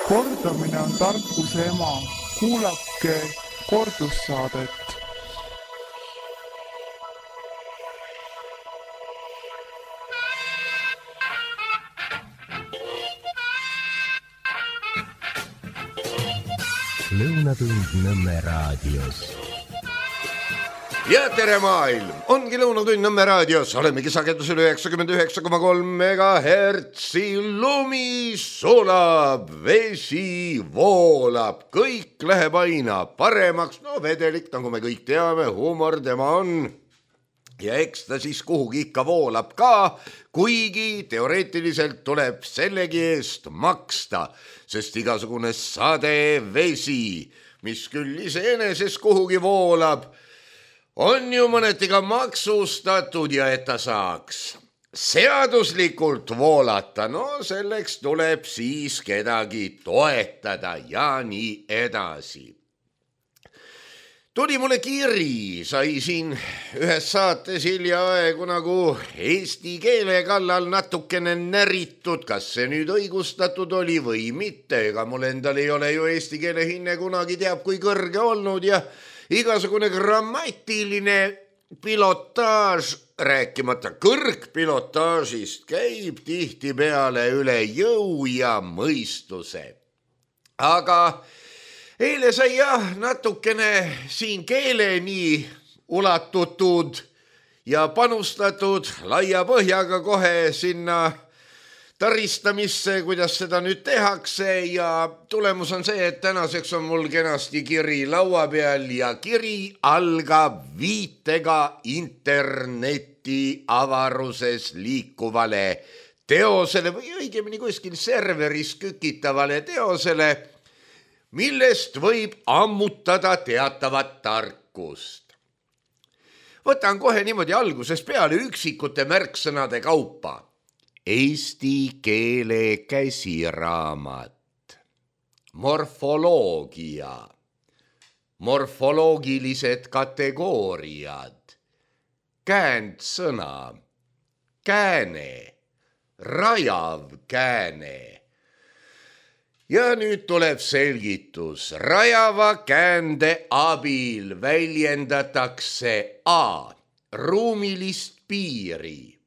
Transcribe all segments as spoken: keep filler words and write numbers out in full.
Kordamine on tarkuse ema. Kuulake kordussaadet. Lõunatund Nõmme raadios. Ja tere maailm! Ongi Lõunatund Nõmme raadios. Olemegi sagedusel üheksakümmend üheksa koma kolm megahertsi. Lumi sulab, vesi voolab, kõik läheb aina paremaks. No vedelik, nagu me kõik teame, huumor tema on. Ja eks ta siis kuhugi ikka voolab ka, kuigi teoreetiliselt tuleb sellegi eest maksta, sest igasugune sade vesi, mis küll iseeneses kuhugi voolab, on ju mõneti ka maksustatud ja et ta saaks seaduslikult voolata, no selleks tuleb siis kedagi toetada ja nii edasi. Tuli mulle kiri, sai siin ühes saates hiljaaegu nagu eesti keele kallal natukene näritud, kas see nüüd õigustatud oli või mitte, ega mul endal ei ole ju eesti keele hinne kunagi teab kui kõrge olnud ja igasugune grammatiline pilotaaž, rääkimata kõrgpilotaažist, käib tihti peale üle jõu ja mõistuse. Aga eile sai jah natukene siin keeleni ulatutud ja panustatud laia põhjaga kohe sinna taristamisse, kuidas seda nüüd tehakse ja tulemus on see, et tänaseks on mul kenasti kiri laua peal ja kiri algab viitega interneti avaruses liikuvale teosele või õigemini kuskil serveris kükitavale teosele, millest võib ammutada teatavat tarkust. Võtan kohe niimoodi alguses peale üksikute märksõnade kaupa. Eesti keele käsiraamat, morfoloogia, morfoloogilised kategooriad, käändsõna, kääne, rajav kääne. Ja nüüd tuleb selgitus. Rajava käände abil väljendatakse a. ruumilist piiri.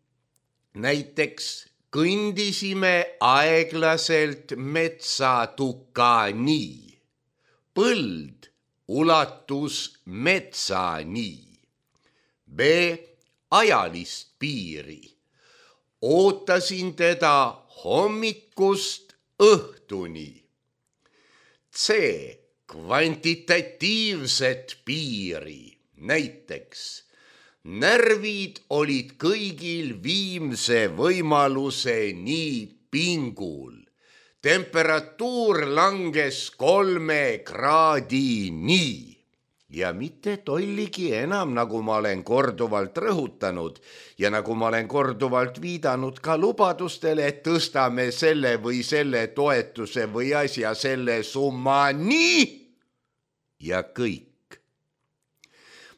Näiteks kõndisime aeglaselt metsatukani. Põld ulatus metsani. b. ajalist piiri. Ootasin teda hommikust õhtuni. C. kvantitatiivset piiri. Näiteks närvid olid kõigil viimse võimaluseni pingul. Temperatuur langes kolme kraadini. Ja mitte tolligi enam, nagu ma olen korduvalt rõhutanud ja nagu ma olen korduvalt viidanud ka lubadustele, et tõstame selle või selle toetuse või asja selle summa nii ja kõik.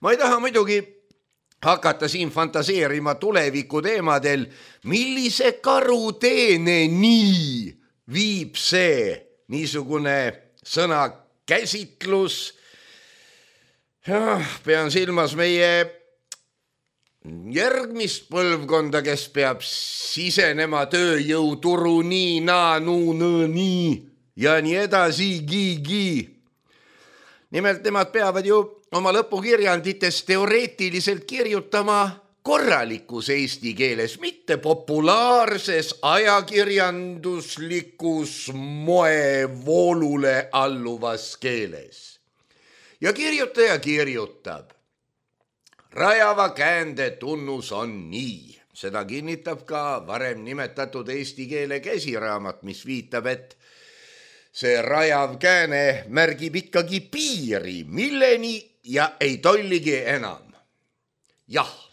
Ma ei taha muidugi hakata siin fantaseerima tuleviku teemadel, millise karuteene nii viib see niisugune sõna käsitlus. Ja, pean silmas meie järgmist põlvkonda, kes peab sisenema tööjõuturu nii, naa, nuu, nõõ, nii ja nii edasi, gi, gi. Nimelt nemad peavad ju oma lõpukirjandites teoreetiliselt kirjutama korralikus eesti keeles, mitte populaarses ajakirjanduslikus moevoolule alluvas keeles. Ja kirjutaja kirjutab. Rajava käände tunnus on nii. Seda kinnitab ka varem nimetatud eesti keele käsiraamat, mis viitab, et see rajav kääne märgib ikkagi piiri, milleni ja ei tolligi enam. Jah,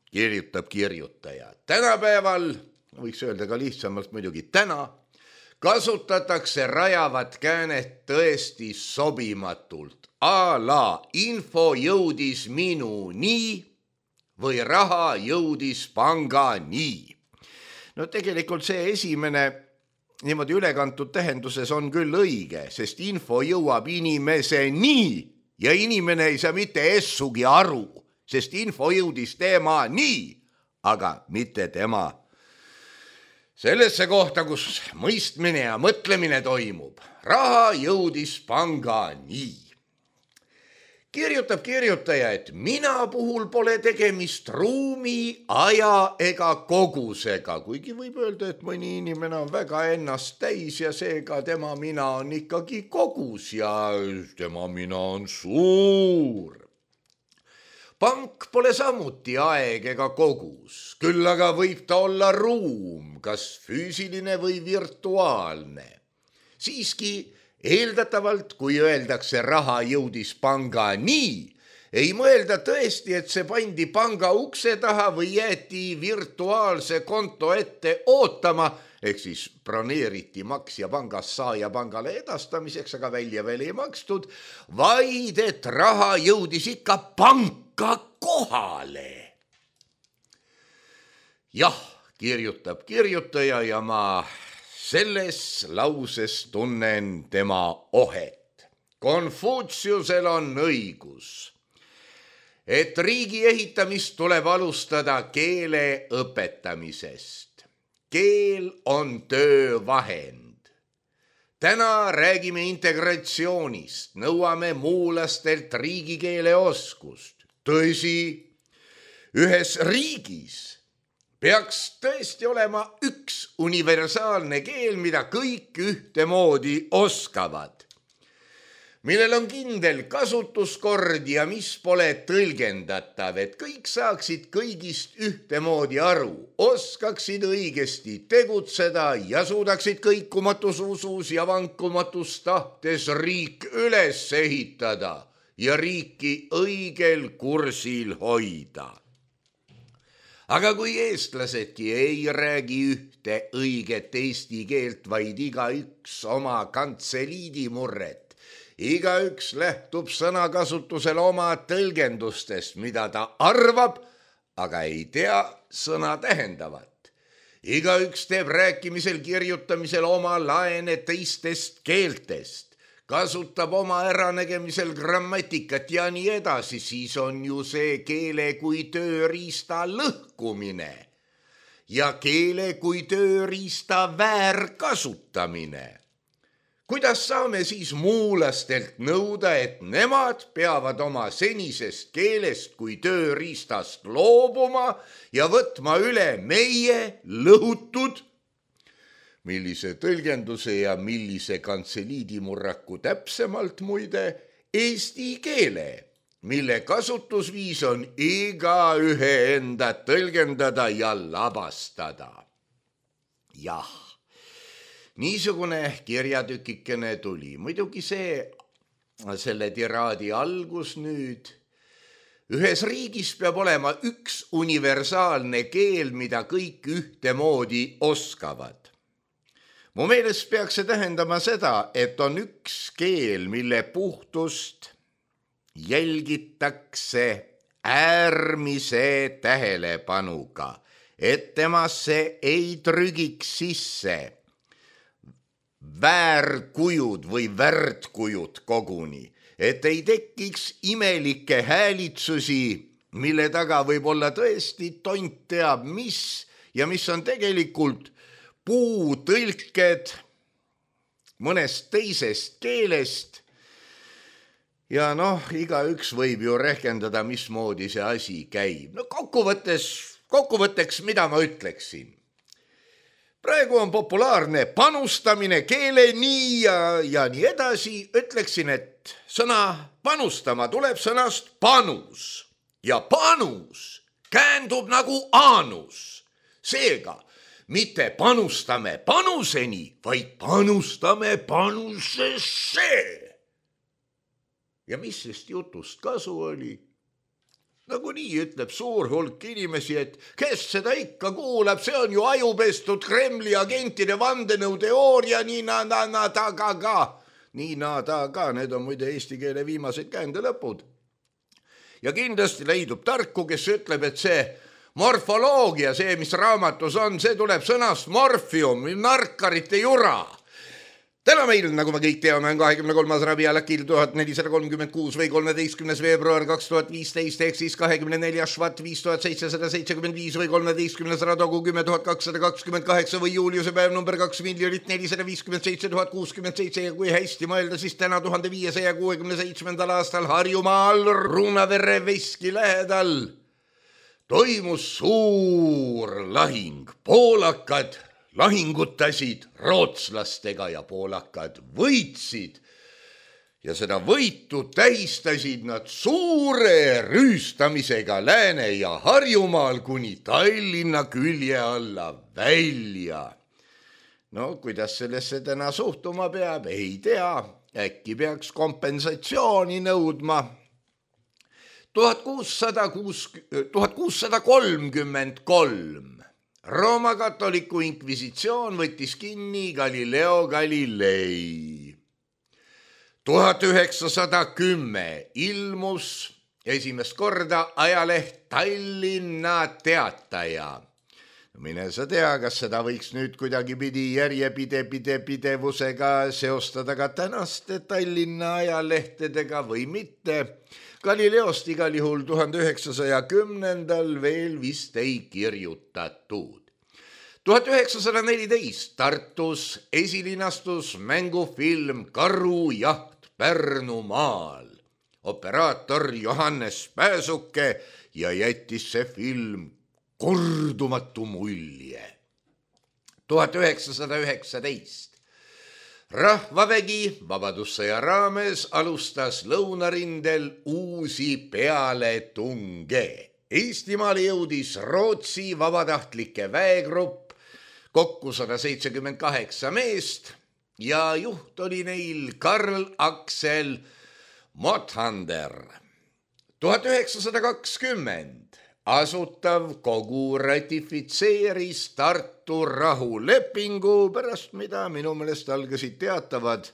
kirjutab kirjutaja. Tänapäeval, võiks öelda ka lihtsamalt muidugi täna, kasutatakse rajavat käänet tõesti sobimatult. A la info jõudis minu nii või raha jõudis panga nii. No tegelikult see esimene niimoodi ülekantud tähenduses on küll õige, sest info jõuab inimeseni ja inimene ei saa mitte essugi aru, sest info jõudis tema nii, aga mitte tema sellesse kohta, kus mõistmine ja mõtlemine toimub. Raha jõudis panga nii. Kirjutab kirjutaja, et mina puhul pole tegemist ruumi, aja ega kogusega, kuigi võib öelda, et mõni inimene on väga ennast täis ja seega tema mina on ikkagi kogus ja tema mina on suur. Pank pole samuti aeg ega kogus, küll aga võib ta olla ruum, kas füüsiline või virtuaalne. Siiski eeldatavalt, kui öeldakse raha jõudis panga nii, ei mõelda tõesti, et see pandi panga ukse taha või jäeti virtuaalse konto ette ootama, ehk siis broneeriti maksja pangast saaja pangale edastamiseks, aga välja veel ei makstud, vaid et raha jõudis ikka panka kohale. Jah, kirjutab kirjutaja ja ma selles lauses tunnen tema ohet. Konfutsiusel on õigus, et riigi ehitamist tuleb alustada keele õpetamisest. Keel on töövahend. Täna räägime integratsioonist, nõuame muulastelt riigikeele oskust. Tõsi, ühes riigis peaks tõesti olema üks universaalne keel, mida kõik ühtemoodi oskavad, millel on kindel kasutuskord ja mis pole tõlgendatav, et kõik saaksid kõigist ühtemoodi aru, oskaksid õigesti tegutseda ja suudaksid kõikumatus usus ja vankumatus tahtes riik üles ehitada ja riiki õigel kursil hoida. Aga kui eestlasedki ei räägi ühte õiget eesti keelt, vaid igaüks oma kantseliidi murret, igaüks lähtub sõnakasutusel oma tõlgendustest, mida ta arvab, aga ei tea sõna tähendavat. Igaüks teeb rääkimisel, kirjutamisel oma laene teistest keeltest, kasutab oma äranägemisel grammatikat ja nii edasi, siis on ju see keele kui tööriista lõhkumine ja keele kui tööriista väärkasutamine. Kuidas saame siis muulastelt nõuda, et nemad peavad oma senisest keelest kui tööriistast loobuma ja võtma üle meie lõhutud, millise tõlgenduse ja millise kantseliidimurraku täpsemalt muide, eesti keele, mille kasutusviis on igaühe enda tõlgendada ja lavastada. Jah, niisugune kirjatükikene tuli. Muidugi see, selle tiraadi algus nüüd. Ühes riigis peab olema üks universaalne keel, mida kõik ühtemoodi oskavad. Mu meelest peaks see tähendama seda, et on üks keel, mille puhtust jälgitakse äärmise tähelepanuga, et temasse ei trügiks sisse väärkujud või värdkujud koguni, et ei tekiks imelikke häälitsusi, mille taga võib olla tõesti tont teab mis ja mis on tegelikult puutõlked mõnest teisest keelest ja noh, igaüks võib ju rehkendada, mismoodi see asi käib. No kokkuvõttes, kokkuvõtteks, mida ma ütleksin? Praegu on populaarne panustamine keeleni ja, ja nii edasi. Ütleksin, et sõna panustama tuleb sõnast panus ja panus käändub nagu aanus. Seega, mitte panustame panuseni, vaid panustame panusesse. Ja mis sest jutust kasu oli? Nagu nii ütleb suur hulk inimesi, et kes seda ikka kuulab, see on ju ajupestud Kremli agentide vandenõuteooria, nii na, na, na, ta ka ka. Nii na, ta ka, need on muide eesti keele viimased käändelõpud. Ja kindlasti leidub tarku, kes ütleb, et see morfoloogia, see, mis raamatus on, see tuleb sõnast morfium, narkarite jura. Täna meil, nagu me kõik teame, on kahekümne kolmas Rabiul Akil tuhat nelisada kolmkümmend kuus või kolmeteistkümnes veebruar kaks tuhat viisteist ehk siis kahekümne neljas Švat viis tuhat seitsesada seitsekümmend viis või kolmeteistkümnes Radogu kümme tuhat kakssada kakskümmend kaheksa või Juliuse päev number kaks miljonit nelisada viiskümmend seitse tuhat kuuskümmend seitse ja kui hästi mõelda, siis täna tuhande viiesaja kuuekümne seitsmendal aastal Harjumaal Ruunavere veski lähedal toimus suur lahing. Poolakad lahingutasid rootslastega ja poolakad võitsid ja seda võitu tähistasid nad suure rüüstamisega Lääne ja Harjumaal kuni Tallinna külje alla välja. No kuidas sellesse täna suhtuma peab, ei tea, äkki peaks kompensatsiooni nõudma. tuhat kuussada kolmkümmend kolm Rooma katoliku inkvisitsioon võttis kinni Galileo Galilei. tuhat üheksasada kümme ilmus esimest korda ajaleht Tallinna Teataja. Mine sa tea, kas seda võiks nüüd kuidagipidi järjepide pide pidevusega seostada ka tänaste Tallinna ajalehtedega või mitte. Galileost igal juhul tuhande üheksasaja kümnendal veel vist ei kirjutatud. tuhat üheksasada neliteist Tartus esilinastus mängufilm Karujaht Pärnumaal. Operaator Johannes Pääsuke ja jättis see film kordumatu mulje. tuhat üheksasada üheksateist Rahvavägi Vabadussõja raames alustas lõunarindel uusi pealetunge. Eestimaale jõudis Rootsi vabatahtlike väegrupp, kokku sada seitsekümmend kaheksa meest ja juht oli neil Karl Aksel Mothander. tuhat üheksasada kakskümmend Asutav kogu ratifitseeris Tartu rahulepingu, pärast mida minu meelest algasid teatavad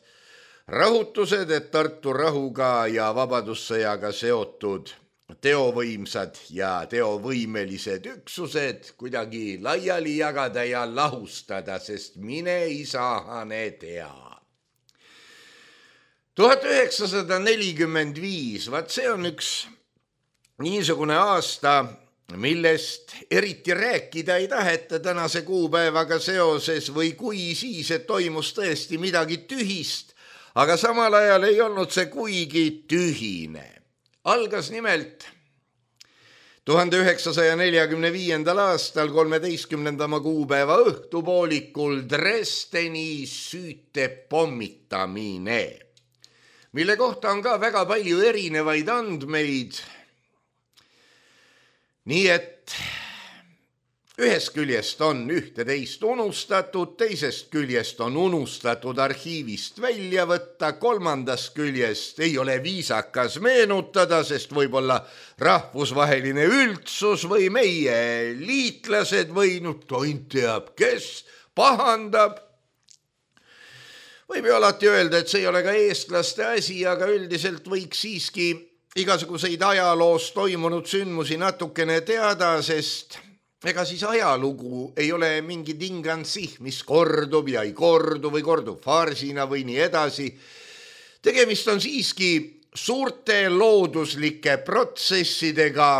rahutused, et Tartu rahuga ja vabadussõjaga seotud teovõimsad ja teovõimelised üksused kuidagi laiali jagada ja lahustada, sest mine isahane tea. tuhat üheksasada nelikümmend viis, vaat see on üks niisugune aasta, millest eriti rääkida ei taheta tänase kuupäevaga seoses või kui siis, et toimus tõesti midagi tühist, aga samal ajal ei olnud see kuigi tühine. Algas nimelt tuhande üheksasaja neljakümne viiendal aastal kolmeteistkümnendama kuupäeva õhtupoolikul Dresdeni süütepommitamine, mille kohta on ka väga palju erinevaid andmeid. Nii et ühest küljest on ühte-teist unustatud, teisest küljest on unustatud arhiivist välja võtta, kolmandast küljest ei ole viisakas meenutada, sest võib-olla rahvusvaheline üldsus või meie liitlased või nüüd tont teab, kes pahandab. Võib ju alati öelda, et see ei ole ka eestlaste asi, aga üldiselt võiks siiski igasuguseid ajaloos toimunud sündmusi natukene teada, sest ega siis ajalugu ei ole mingi tingansi, mis kordub ja ei kordu või kordub farsina või nii edasi. Tegemist on siiski suurte looduslike protsessidega,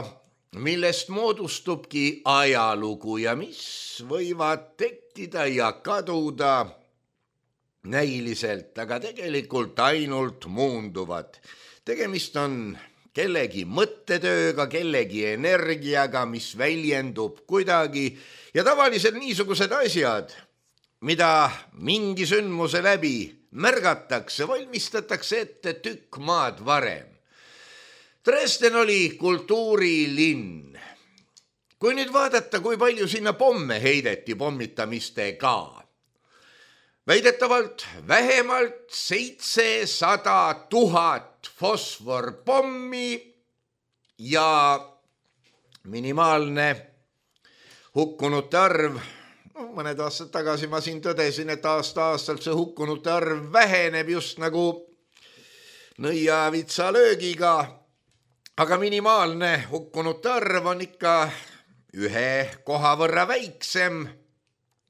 millest moodustubki ajalugu ja mis võivad tekkida ja kaduda näiliselt, aga tegelikult ainult muunduvad. Tegemist on kellegi mõttetööga, kellegi energiaga, mis väljendub kuidagi ja tavaliselt niisugused asjad, mida mingi sündmuse läbi märgatakse, valmistatakse ette tükk maad varem. Dresden oli kultuurilinn. Kui nüüd vaadata, kui palju sinna pomme heideti pommitamistega, väidetavalt vähemalt seitsesada tuhat fosforpommi ja minimaalne hukkunute arv. No, mõned aastad tagasi ma siin tõdesin, et aasta-aastalt see hukkunute arv väheneb just nagu nõiavitsa löögiga, aga minimaalne hukkunute arv on ikka ühe koha võrra väiksem,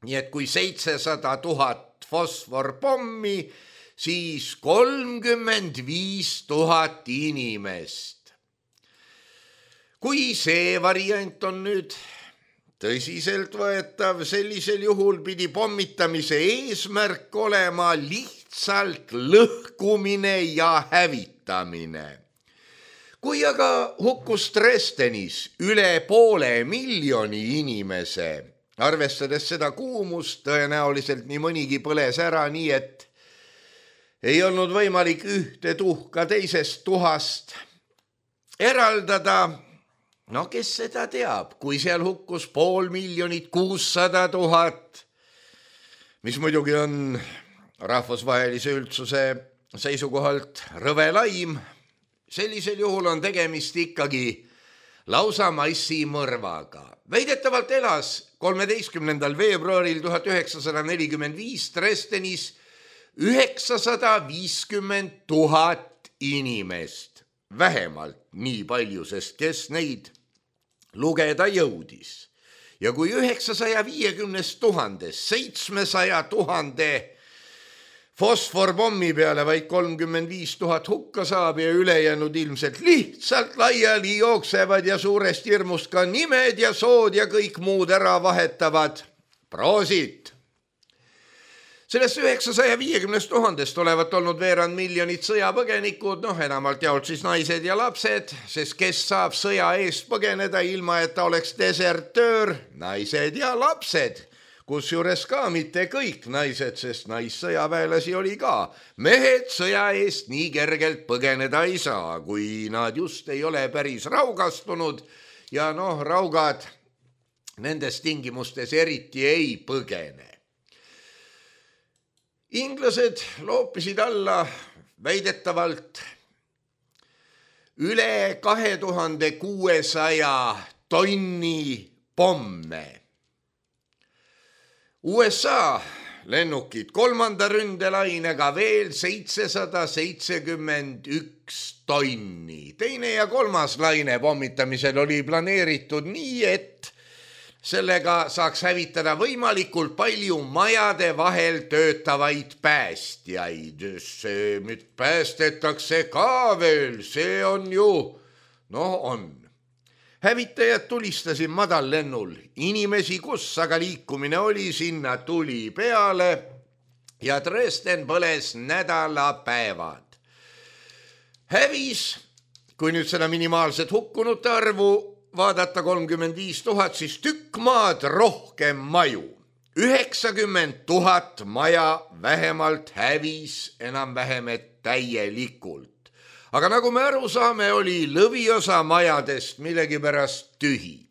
nii et kui seitsesada tuhat fosforpommi, siis kolmkümmend viis tuhat inimest. Kui see variant on nüüd tõsiselt võetav, sellisel juhul pidi pommitamise eesmärk olema lihtsalt lõhkumine ja hävitamine. Kui aga hukkus Dresdenis üle poole miljoni inimese, arvestades seda kuumust, tõenäoliselt nii mõnigi põles ära, nii et ei olnud võimalik ühte tuhka teisest tuhast eraldada. No kes seda teab, kui seal hukkus pool miljonit kuussada tuhat, mis muidugi on rahvusvahelise üldsuse seisukohalt rõve laim, sellisel juhul on tegemist ikkagi lausa massimõrvaga. Väidetavalt elas kolmeteistkümnendal veebruaril tuhat üheksasada nelikümmend viis Dresdenis üheksasada viiskümmend tuhat inimest, vähemalt nii palju, sest kes neid lugeda jõudis. Ja kui üheksasaja viiekümnest tuhandest seitsmesaja tuhande fosforpommi peale vaid kolmkümmend viis tuhat hukka saab ja ülejäänud ilmselt lihtsalt laiali jooksevad ja suurest hirmust ka nimed ja sood ja kõik muud ära vahetavad. Proosit! Sellest üheksasaja viiekümnest tuhandest olevat olnud veerand miljonit sõjapõgenikud, noh enamalt jaolt siis naised ja lapsed, sest kes saab sõja eest põgeneda ilma, et ta oleks desertöör, naised ja lapsed, kusjuures ka mitte kõik naised, sest naissõjaväelasi oli ka. Mehed sõja eest nii kergelt põgeneda ei saa, kui nad just ei ole päris raugastunud ja noh, raugad nendes tingimustes eriti ei põgene. Inglased loopisid alla väidetavalt üle kahe tuhande kuuesaja tonni pomme. U S A lennukid kolmanda ründelainega veel seitsesada seitsekümmend üks tonni. Teine ja kolmas laine pommitamisel oli planeeritud nii, et sellega saaks hävitada võimalikult palju majade vahel töötavaid päästjaid. See nüüd päästetakse ka veel, see on ju, noh on. Hävitajad tulistasid madallennul, inimesi kus, aga liikumine oli, sinna tuli peale ja Dresden põles nädalapäevad. Hävis, kui nüüd seda minimaalset hukkunute arvu vaadata kolmkümmend viis tuhat, siis tükk maad rohkem maju. üheksakümmend tuhat maja vähemalt hävis enam-vähem täielikult. Aga nagu me aru saame, oli lõviosa majadest millegipärast tühi.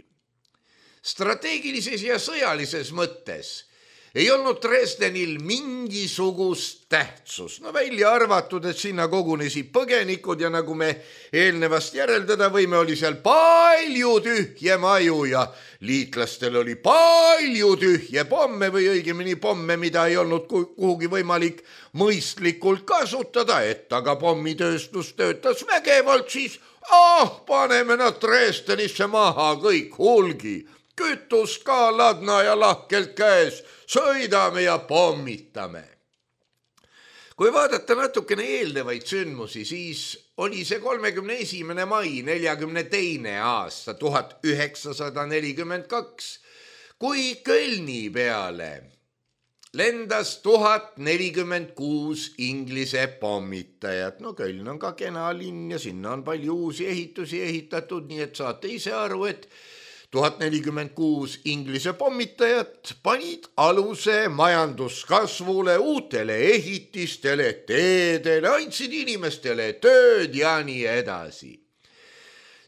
Strateegilises ja sõjalises mõttes ei olnud Dresdenil mingisugust tähtsus. No välja arvatud, et sinna kogunesid põgenikud ja nagu me eelnevast järeldada võime, oli seal palju tühje maju ja liitlastel oli palju tühje pomme või õigemini pomme, mida ei olnud kuhugi võimalik mõistlikult kasutada, et aga pommitööstus töötas vägevalt, siis ah, paneme nad Dresdenisse maha kõik hulgi. Kütust ka ladna ja lahkelt käes, sõidame ja pommitame. Kui vaadata natukene eelnevaid sündmusi, siis oli see kolmekümne esimene mai neljakümne teine aasta tuhat üheksasada nelikümmend kaks, kui Kölni peale lendas tuhat nelikümmend kuus Inglise pommitajat. No Köln on ka kena linn ja sinna on palju uusi ehitusi ehitatud, nii et saate ise aru, et tuhat nelikümmend kuus Inglise pommitajat panid aluse majanduskasvule, uutele ehitistele, teedele, andsid inimestele tööd ja nii edasi.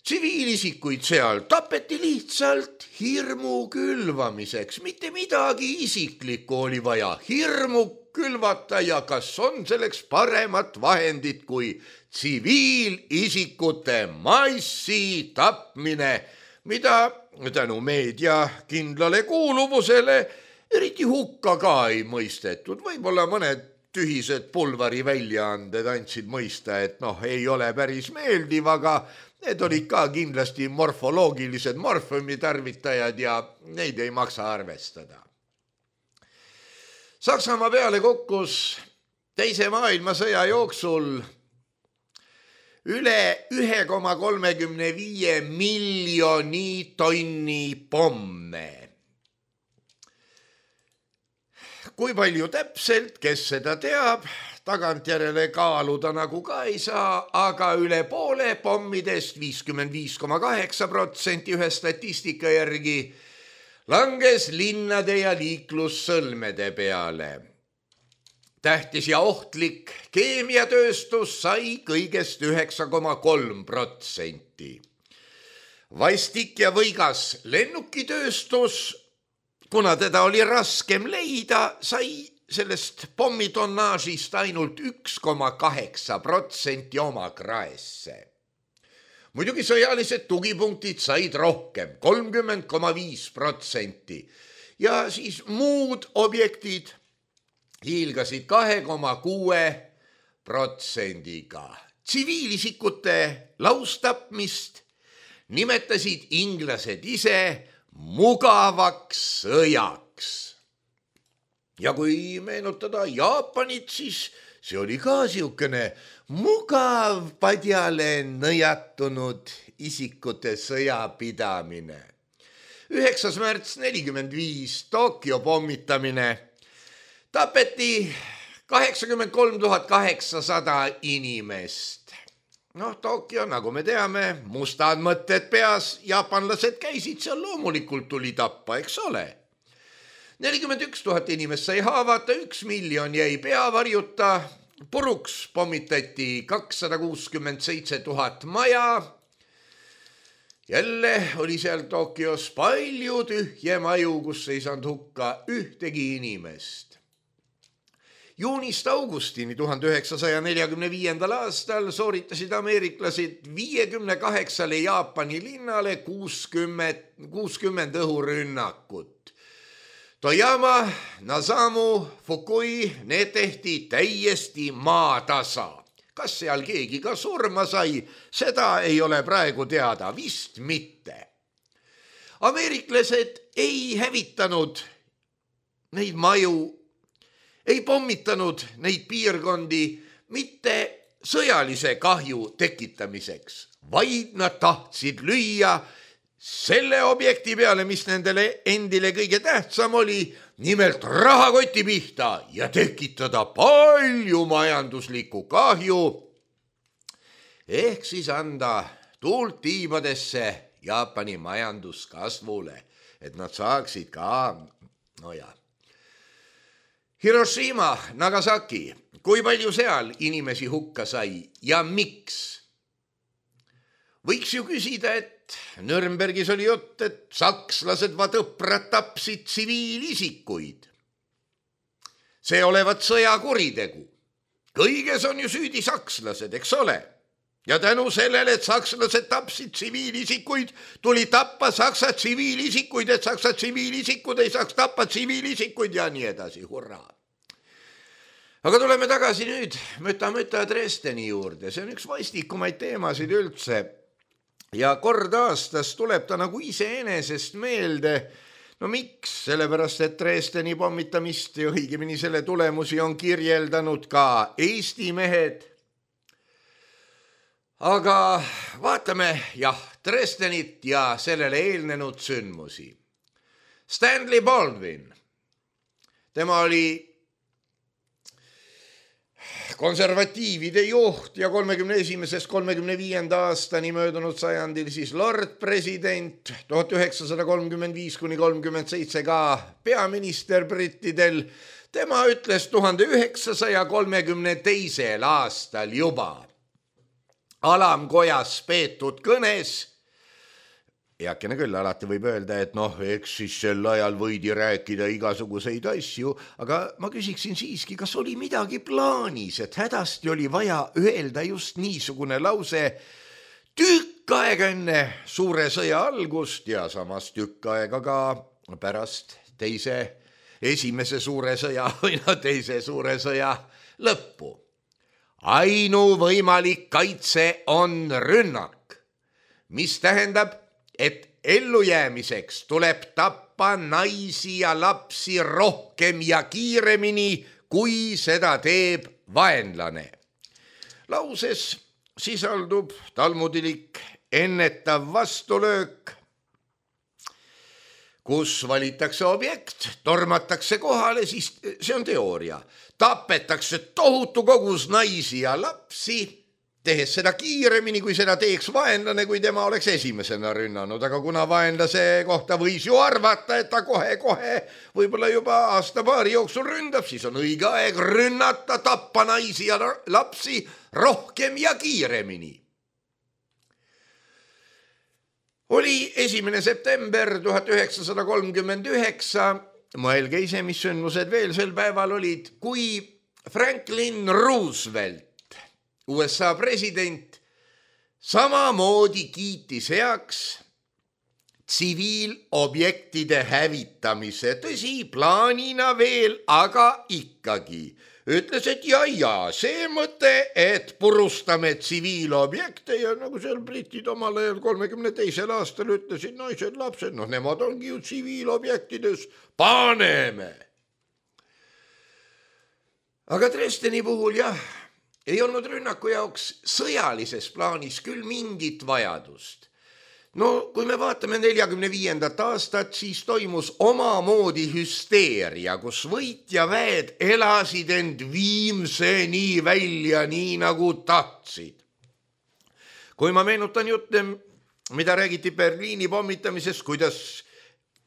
Tsiviilisikuid seal tapeti lihtsalt hirmu külvamiseks, mitte midagi isiklikku oli vaja hirmu külvata ja kas on selleks paremat vahendit kui tsiviilisikute massi tapmine, mida tänu meedia kindlale kuuluvusele eriti hukka ka ei mõistetud. Võib-olla mõned tühised pulvari väljaanded andsid mõista, et noh, ei ole päris meeldiv, aga need olid ka kindlasti morfoloogilised morfumi tarvitajad ja neid ei maksa arvestada. Saksamaa peale kukkus teise maailmasõja jooksul üle ühe koma kolmekümne viie miljoni tonni pomme. Kui palju täpselt, kes seda teab, tagantjärele kaaluda nagu ka ei saa, aga üle poole pommidest viiskümmend viis koma kaheksa protsenti ühe statistika järgi langes linnade ja liiklussõlmede peale. Tähtis ja ohtlik keemiatööstus sai kõigest üheksa koma kolm protsenti. Vastik ja võigas lennukitööstus, kuna teda oli raskem leida, sai sellest pommitonnaažist ainult üks koma kaheksa protsenti oma kraesse. Muidugi sõjalised tugipunktid said rohkem, kolmkümmend koma viis protsenti. Ja siis muud objektid hiilgasid kahe koma kuue protsendiga. Tsiviilisikute laustapmist nimetasid inglased ise mugavaks sõjaks. Ja kui meenutada Jaapanit, siis see oli ka siukene mugav padjale nõjatunud isikute sõjapidamine. üheksas märts nelikümmend viis Tokyo pommitamine. Tapeti kaheksakümmend kolm tuhat kaheksasada inimest. Noh, Tokyo, nagu me teame, mustad mõtted peas, jaapanlased käisid seal, loomulikult tuli tappa, eks ole. nelikümmend üks tuhat inimest sai haavata, üks miljon jäi peavarjuta, puruks pommitati kakssada kuuskümmend seitse tuhat maja. Jälle oli seal Tokyos palju tühje maju, kus ei saanud hukka ühtegi inimest. Juunist augustini tuhande üheksasaja neljakümne viiendal aastal sooritasid ameeriklased viiekümne kaheksale Jaapani linnale kuuskümmend õhurünnakut. Toyama, Nasamu, Fukui, need tehti täiesti maatasa. Kas seal keegi ka surma sai, seda ei ole praegu teada, vist mitte. Ameeriklased ei hävitanud neid maju, ei pommitanud neid piirkondi mitte sõjalise kahju tekitamiseks, vaid nad tahtsid lüüa selle objekti peale, mis nendele endile kõige tähtsam oli, nimelt rahakoti pihta ja tekitada palju majanduslikku kahju, ehk siis anda tuult tiibadesse Jaapani majanduskasvule, et nad saaksid ka, no ja. Hiroshima, Nagasaki, kui palju seal inimesi hukka sai ja miks? Võiks ju küsida, et Nürnbergis oli jutt, et sakslased vadõprad tapsid tsiviilisikuid. See olevat sõjakuritegu. Kõiges on ju süüdi sakslased, eks ole? Ja tänu sellele, et sakslased tapsid tsiviilisikuid, tuli tappa saksa tsiviilisikuid, et saksa tsiviilisikud ei saaks tappa tsiviilisikuid ja nii edasi, hurraa. Aga tuleme tagasi nüüd Möta-Möta Dresdeni juurde. See on üks vaistikumaid teemasid üldse. Ja kord aastas tuleb ta nagu iseenesest meelde. No miks? Sellepärast, et Dresdeni pommitamist ja õigemini selle tulemusi on kirjeldanud ka Eesti mehed. Aga vaatame, jah, Dresdenit ja sellele eelnenud sündmusi. Stanley Baldwin. Tema oli konservatiivide juht ja kolmekümne esimesest kolmekümne viienda aastani möödunud sajandil siis Lord President, tuhat üheksasada kolmkümmend viis kuni kolmkümmend seitse ka peaminister brittidel. Tema ütles tuhande üheksasaja kolmekümne teisel aastal juba alamkojas peetud kõnes. Eakene küll, alati võib öelda, et noh, eks siis sel ajal võidi rääkida igasuguseid asju, aga ma küsiksin siiski, kas oli midagi plaanis, et hädasti oli vaja öelda just niisugune lause tükk aega enne suure sõja algust ja samas tükk aega ka pärast teise, esimese suure sõja või no teise suure sõja lõppu. Ainuvõimalik kaitse on rünnak. mis tähendab, et ellujäämiseks tuleb tappa naisi ja lapsi rohkem ja kiiremini, kui seda teeb vaenlane. Lauses sisaldub talmudilik ennetav vastulöök, kus valitakse objekt, tormatakse kohale, siis see on teooria. Tapetakse tohutu kogus naisi ja lapsi, tehes seda kiiremini, kui seda teeks vaenlane, kui tema oleks esimesena rünnanud. Aga kuna vaenlase kohta võis ju arvata, et ta kohe-kohe võib-olla juba aasta-paari jooksul ründab, siis on õige aeg rünnata, tappa naisi ja lapsi rohkem ja kiiremini. Oli esimene september tuhat üheksasada kolmkümmend üheksa, mõelge ise, mis sündmused veel sel päeval olid, kui Franklin Roosevelt, U S A president, samamoodi kiitis heaks tsiviilobjektide hävitamise, tõsi, plaanina veel, aga ikkagi. Ütles, et ja, ja, see mõte, et purustame tsiviilobjekte ja nagu seal britid omal ajal kolmekümne teisel aastal ütlesid, naised, lapsed, noh, nemad ongi ju tsiviilobjektides, paneme. Aga Dresdeni puhul jah, ei olnud rünnaku jaoks sõjalises plaanis küll mingit vajadust. No kui me vaatame neljakümne viiendat aastat, siis toimus omamoodi hüsteeria, kus võit ja väed elasid end viimseni välja, nii nagu tahtsid. Kui ma meenutan jutte, mida räägiti Berliini pommitamisest, kuidas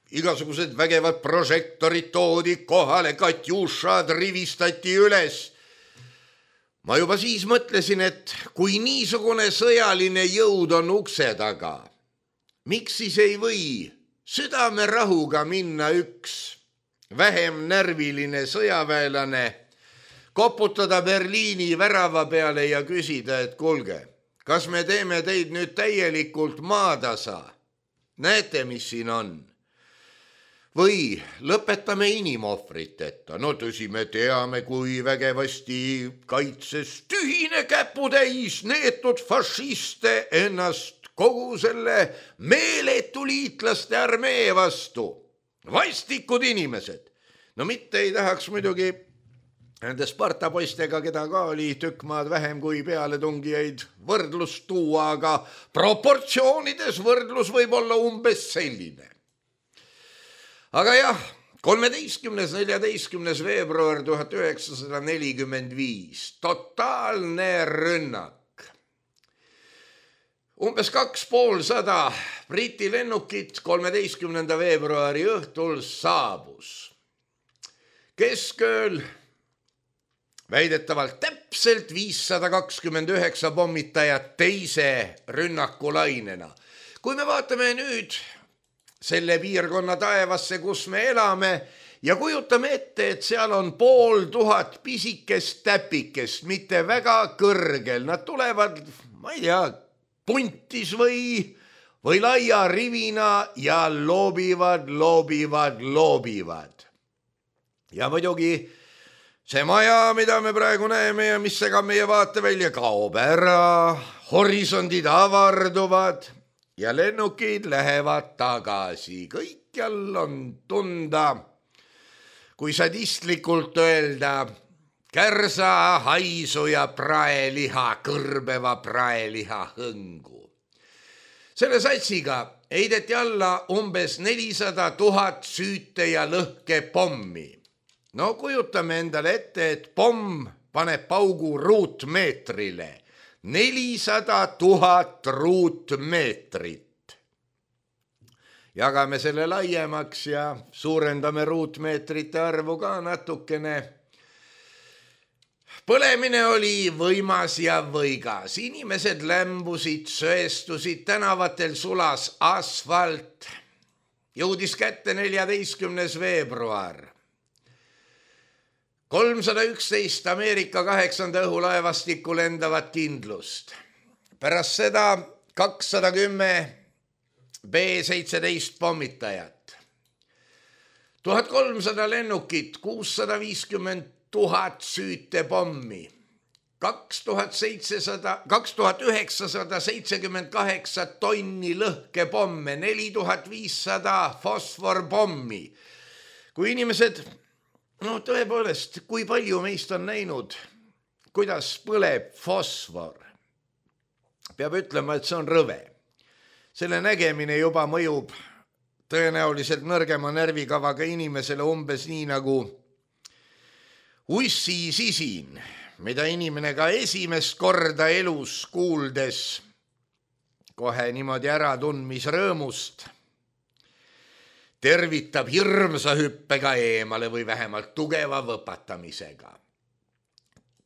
igasugused vägevad prožektorid toodi kohale, Katjušad rivistati üles. Ma juba siis mõtlesin, et kui niisugune sõjaline jõud on ukse taga, miks siis ei või südamerahuga minna üks vähem närviline sõjaväelane, koputada Berliini värava peale ja küsida, et kuulge, kas me teeme teid nüüd täielikult maatasa? Näete, mis siin on? Või lõpetame inimohvriteta? No tõsi, me teame, kui vägevasti kaitses tühine käputäis neetud fašiste ennast kogu selle meeletu liitlaste armee vastu. Vastikud inimesed. No mitte ei tahaks muidugi nende Sparta poistega, keda ka oli tükk maad vähem kui pealetungijaid võrdlust tuua, aga proportsioonides võrdlus võib olla umbes selline. Aga jah, kolmeteistkümnes neljateistkümnes veebruar tuhat üheksasada nelikümmend viis, totaalne rünnak. Umbes kaks poolsada Briti lennukit kolmeteistkümnenda veebruari õhtul saabus. Keskööl väidetavalt täpselt viissada kakskümmend üheksa pommitajat teise rünnakulainena. Kui me vaatame nüüd selle piirkonna taevasse, kus me elame, ja kujutame ette, et seal on pool tuhat pisikest täpikest, mitte väga kõrgel. Nad tulevad, ma ei tea, puntis või, või laia rivina ja loobivad, loobivad, loobivad. Ja muidugi see maja, mida me praegu näeme ja mis segab meie vaatevälja, kaob ära, horisondid avarduvad ja lennukid lähevad tagasi. Kõikjal on tunda, kui sadistlikult öelda, kärsa, haisu ja praeliha, kõrbeva praeliha hõngu. Selle satsiga heideti alla umbes nelisada tuhat süüte ja lõhke pommi. No kujutame endale ette, et pomm paneb paugu ruutmeetrile. nelisada tuhat ruutmeetrit. Jagame selle laiemaks ja suurendame ruutmeetrite arvu ka natukene. Põlemine oli võimas ja võigas. Inimesed lämbusid, söestusid, tänavatel sulas asfalt. Jõudis kätte neljateistkümnes veebruar. kolmsada üksteist Ameerika kaheksanda õhulaevastikku lendavat kindlust. Pärast seda kakssada kümme B seitseteist pommitajat. tuhat kolmsada lennukit, kuussada viiskümmend tuhat süüte pommi, kaks tuhat seitsesada, kaks tuhat üheksasada seitsekümmend kaheksa tonni lõhkepomme, neli tuhat viissada fosforpommi. Kui inimesed, no tõepoolest, kui palju meist on näinud, kuidas põleb fosfor, peab ütlema, et see on rõve. Selle nägemine juba mõjub tõenäoliselt nõrgema närvikavaga inimesele umbes nii nagu ussi sisin, mida inimene ka esimest korda elus kuuldes kohe niimoodi äratundmisrõõmust tervitab hirmsa hüppega eemale või vähemalt tugeva võpatamisega.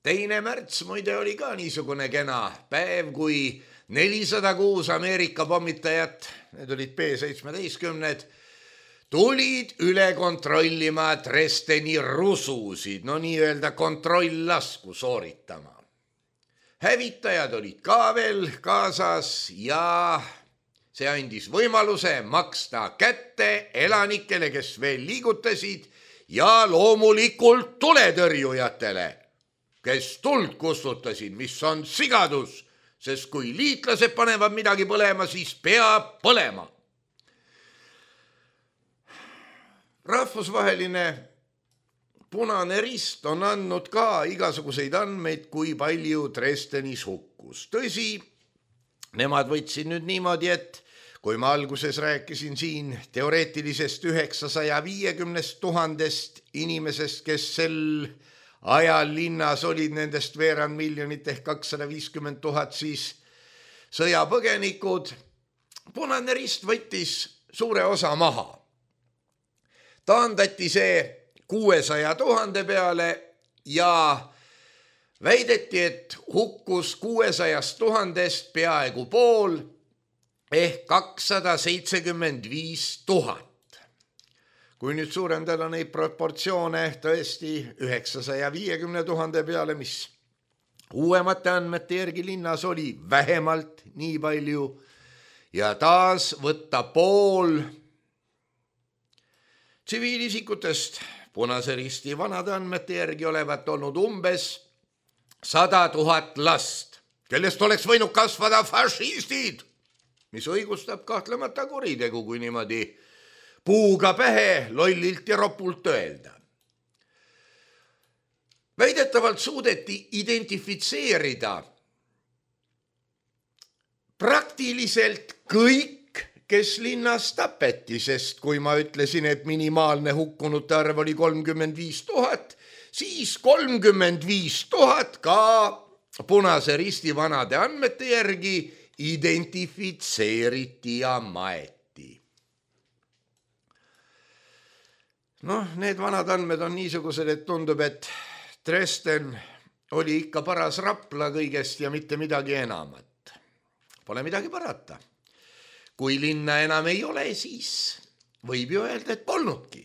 Teine märts muide oli ka niisugune kena päev, kui nelisada kuus Ameerika pommitajat, need olid B seitsmeteistkümned, tulid üle kontrollima Dresdeni rususid, no nii-öelda kontrolllasku sooritama. Hävitajad olid ka veel kaasas ja see andis võimaluse maksta kätte elanikele, kes veel liigutasid ja loomulikult tuletõrjujatele, kes tuld kustutasid, mis on sigadus, sest kui liitlased panevad midagi põlema, siis peab põlema. Rahvusvaheline Punane Rist on andnud ka igasuguseid andmeid, kui palju Dresdenis hukkus. Tõsi, nemad võtsid nüüd niimoodi, et kui ma alguses rääkisin siin teoreetilisest üheksasaja viiekümnest tuhandest inimesest, kes sel ajal linnas olid nendest veerand miljonit ehk kakssada viiskümmend tuhat, siis sõjapõgenikud, Punane Rist võttis suure osa maha. Taandati see kuuesaja tuhande peale ja väideti, et hukkus kuuesajast tuhandest peaaegu pool ehk kakssada seitsekümmend viis tuhat. Kui nüüd suurendada neid proportsioone tõesti üheksasaja viiekümne tuhande peale, mis uuemate andmete järgi linnas oli vähemalt nii palju ja taas võtta pool tsiviilisikutest Punase Risti vanade andmete järgi olevat olnud umbes sada tuhat last, kellest oleks võinud kasvada fašistid, mis õigustab kahtlemata kuritegu, kui niimoodi puuga pähe lollilt ja ropult öelda. Väidetavalt suudeti identifitseerida praktiliselt kõik, kes linnas tapeti, sest kui ma ütlesin, et minimaalne hukkunute arv oli kolmkümmend viis tuhat, siis kolmkümmend viis tuhat ka Punase Risti vanade andmete järgi identifitseeriti ja maeti. Noh, need vanad andmed on niisugused, et tundub, et Dresden oli ikka paras Rapla kõigest ja mitte midagi enamat. Pole midagi parata. Kui linna enam ei ole, siis võib ju öelda, et polnudki.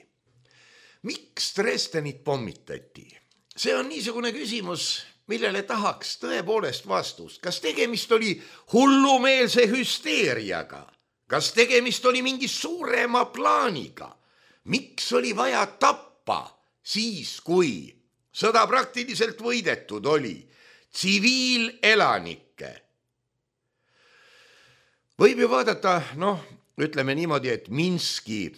Miks Dresdenit pommitati? See on niisugune küsimus, millele tahaks tõepoolest vastust. Kas tegemist oli hullumeelse hüsteeriaga? Kas tegemist oli mingi suurema plaaniga? Miks oli vaja tappa siis, kui sõda praktiliselt võidetud oli tsiviilelanikke? Võib ju vaadata, noh, ütleme niimoodi, et Minski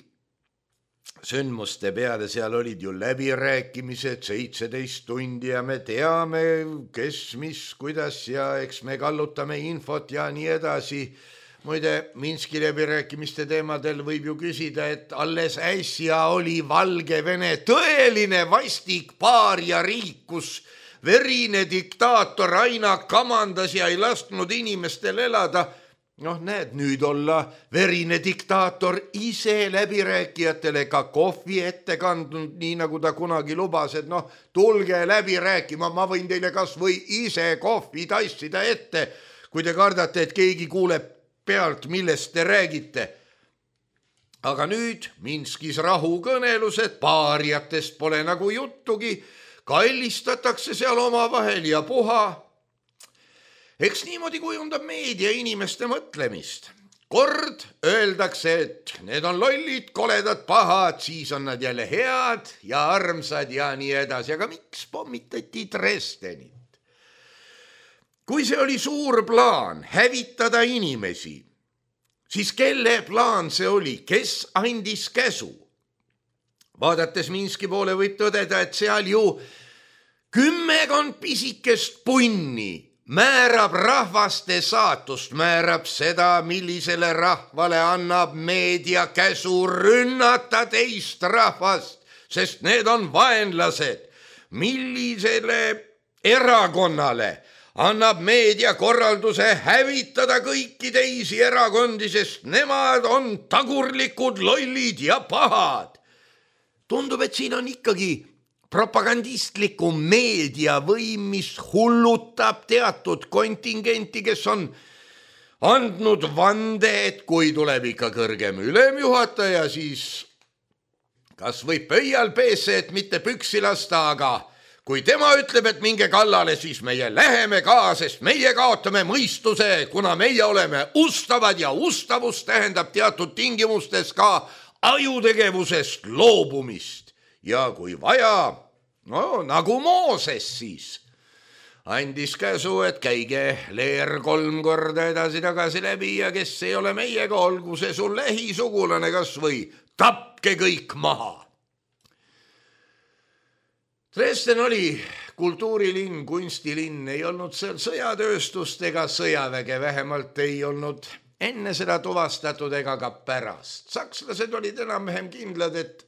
sündmuste peale seal olid ju läbirääkimised seitseteist tundi ja me teame, kes, mis, kuidas ja eks me kallutame infot ja nii edasi. Muide, Minski läbirääkimiste teemadel võib ju küsida, et alles äsja oli Valgevene tõeline vastik paar ja riik, kus verine diktaator aina kamandas ja ei lasknud inimestel elada. Noh, näed, nüüd olla verine diktaator ise läbirääkijatele ka kohvi ette kandnud, nii nagu ta kunagi lubas, et noh, tulge läbi rääkima, ma võin teile kas või ise kohvi tassida ette, kui te kardate, et keegi kuuleb pealt, millest te räägite. Aga nüüd Minskis rahukõnelused, paariatest pole nagu juttugi, kallistatakse seal omavahel ja puha. Eks niimoodi kujundab meedia inimeste mõtlemist. Kord öeldakse, et need on lollid, koledad, pahad, siis on nad jälle head ja armsad ja nii edasi. Aga miks pommitati Dresdenit? kui see oli suur plaan hävitada inimesi, siis kelle plaan see oli, kes andis käsu? Vaadates Minski poole võib tõdeda, et seal ju kümmekond pisikest punni määrab rahvaste saatust, määrab seda, millisele rahvale annab meedia käsu rünnata teist rahvast, sest need on vaenlased. Millisele erakonnale annab meedia korralduse hävitada kõiki teisi erakondi, sest nemad on tagurlikud, lollid ja pahad. Tundub, et siin on ikkagi propagandistliku meedia võim, mis hullutab teatud kontingenti, kes on andnud vande, et kui tuleb ikka kõrgem ülemjuhataja, siis kas võib pöial peesse, et mitte püksi lasta, aga kui tema ütleb, et minge kallale, siis meie läheme ka, sest meie kaotame mõistuse, kuna meie oleme ustavad ja ustavus tähendab teatud tingimustes ka ajutegevusest loobumist. Ja kui vaja, no nagu Mooses siis andis käsu, et käige leer kolm korda edasi-tagasi läbi ja kes ei ole meiega, olgu see sul lähisugulane kas või tapke kõik maha. Dresden oli kultuurilinn, kunstilinn, ei olnud seal sõjatööstust ega sõjaväge, vähemalt ei olnud enne seda tuvastatud ega ka pärast. Sakslased olid enam-vähem kindlad, et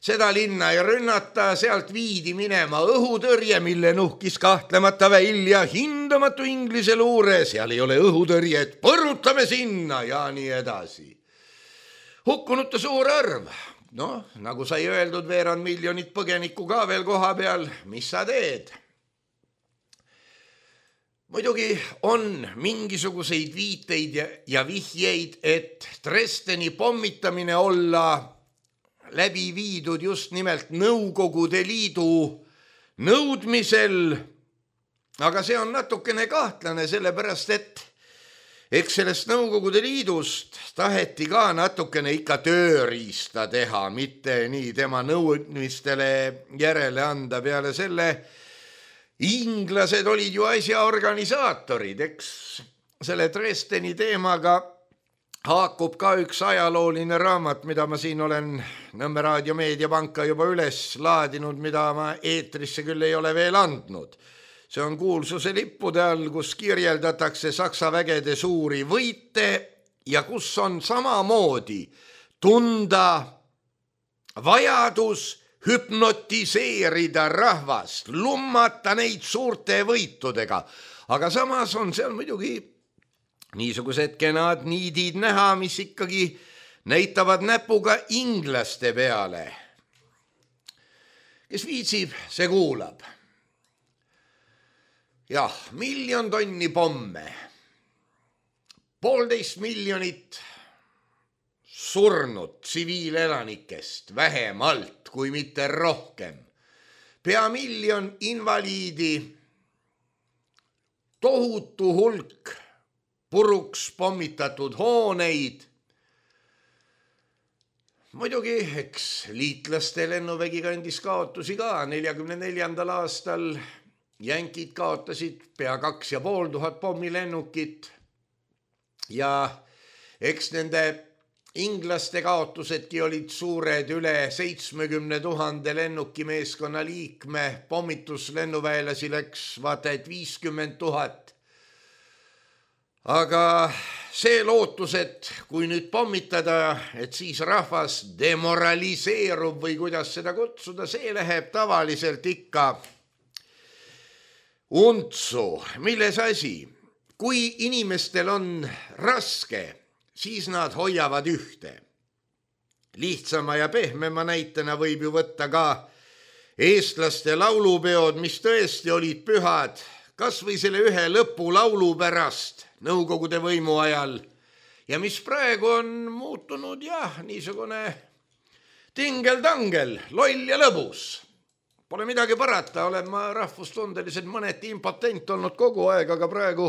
seda linna ei rünnata, sealt viidi minema õhutõrje, mille nuhkis kahtlemata välja hindamatu Inglise luure, seal ei ole õhutõrjet, põrutame sinna ja nii edasi. Hukkunute suur arv, noh, nagu sai öeldud, veerand miljonit põgenikku ka veel koha peal, mis sa teed? Muidugi on mingisuguseid viiteid ja, ja vihjeid, et Dresdeni pommitamine olla läbi viidud just nimelt Nõukogude Liidu nõudmisel, aga see on natukene kahtlane, sellepärast et eks sellest Nõukogude Liidust taheti ka natukene ikka tööriista teha, mitte nii tema nõudmistele järele anda. Peale selle inglased olid ju asja organisaatorid, eks selle Dresdeni teemaga haakub ka üks ajalooline raamat, mida ma siin olen Nõmme Raadio Meediapanka juba üles laadinud, mida ma eetrisse küll ei ole veel andnud. See on Kuulsuse lippude all, kus kirjeldatakse Saksa vägede suuri võite ja kus on samamoodi tunda vajadus hüpnotiseerida rahvast, lummata neid suurte võitudega. Aga samas on seal muidugi niisugused kenad niidid näha, mis ikkagi näitavad näpuga inglaste peale. Kes viitsib, see kuulab. Jah, miljon tonni pomme, poolteist miljonit surnud tsiviilelanikest, vähemalt kui mitte rohkem, pea miljon invaliidi, tohutu hulk puruks pommitatud hooneid. Muidugi, eks liitlaste lennuvägi kandis kaotusi ka. neljakümne neljandal aastal jänkid kaotasid pea kaks ja pool tuhat pommilennukit ja eks nende inglaste kaotusedki olid suured, üle seitsmekümne tuhande lennukimeeskonna liikme, pommituslennuväelasi läks vaata et viiskümmend tuhat. Aga see lootus, et kui nüüd pommitada, et siis rahvas demoraliseerub või kuidas seda kutsuda, see läheb tavaliselt ikka untsu. Milles asi? Kui inimestel on raske, siis nad hoiavad ühte. Lihtsama ja pehmema näitena võib ju võtta ka eestlaste laulupeod, mis tõesti olid pühad, kas või selle ühe lõpulaulu pärast Nõukogude võimu ajal ja mis praegu on muutunud jah, niisugune tingel-tangel, loll ja lõbus. Pole midagi parata, olen ma rahvustundeliselt mõneti impotent olnud kogu aeg, aga praegu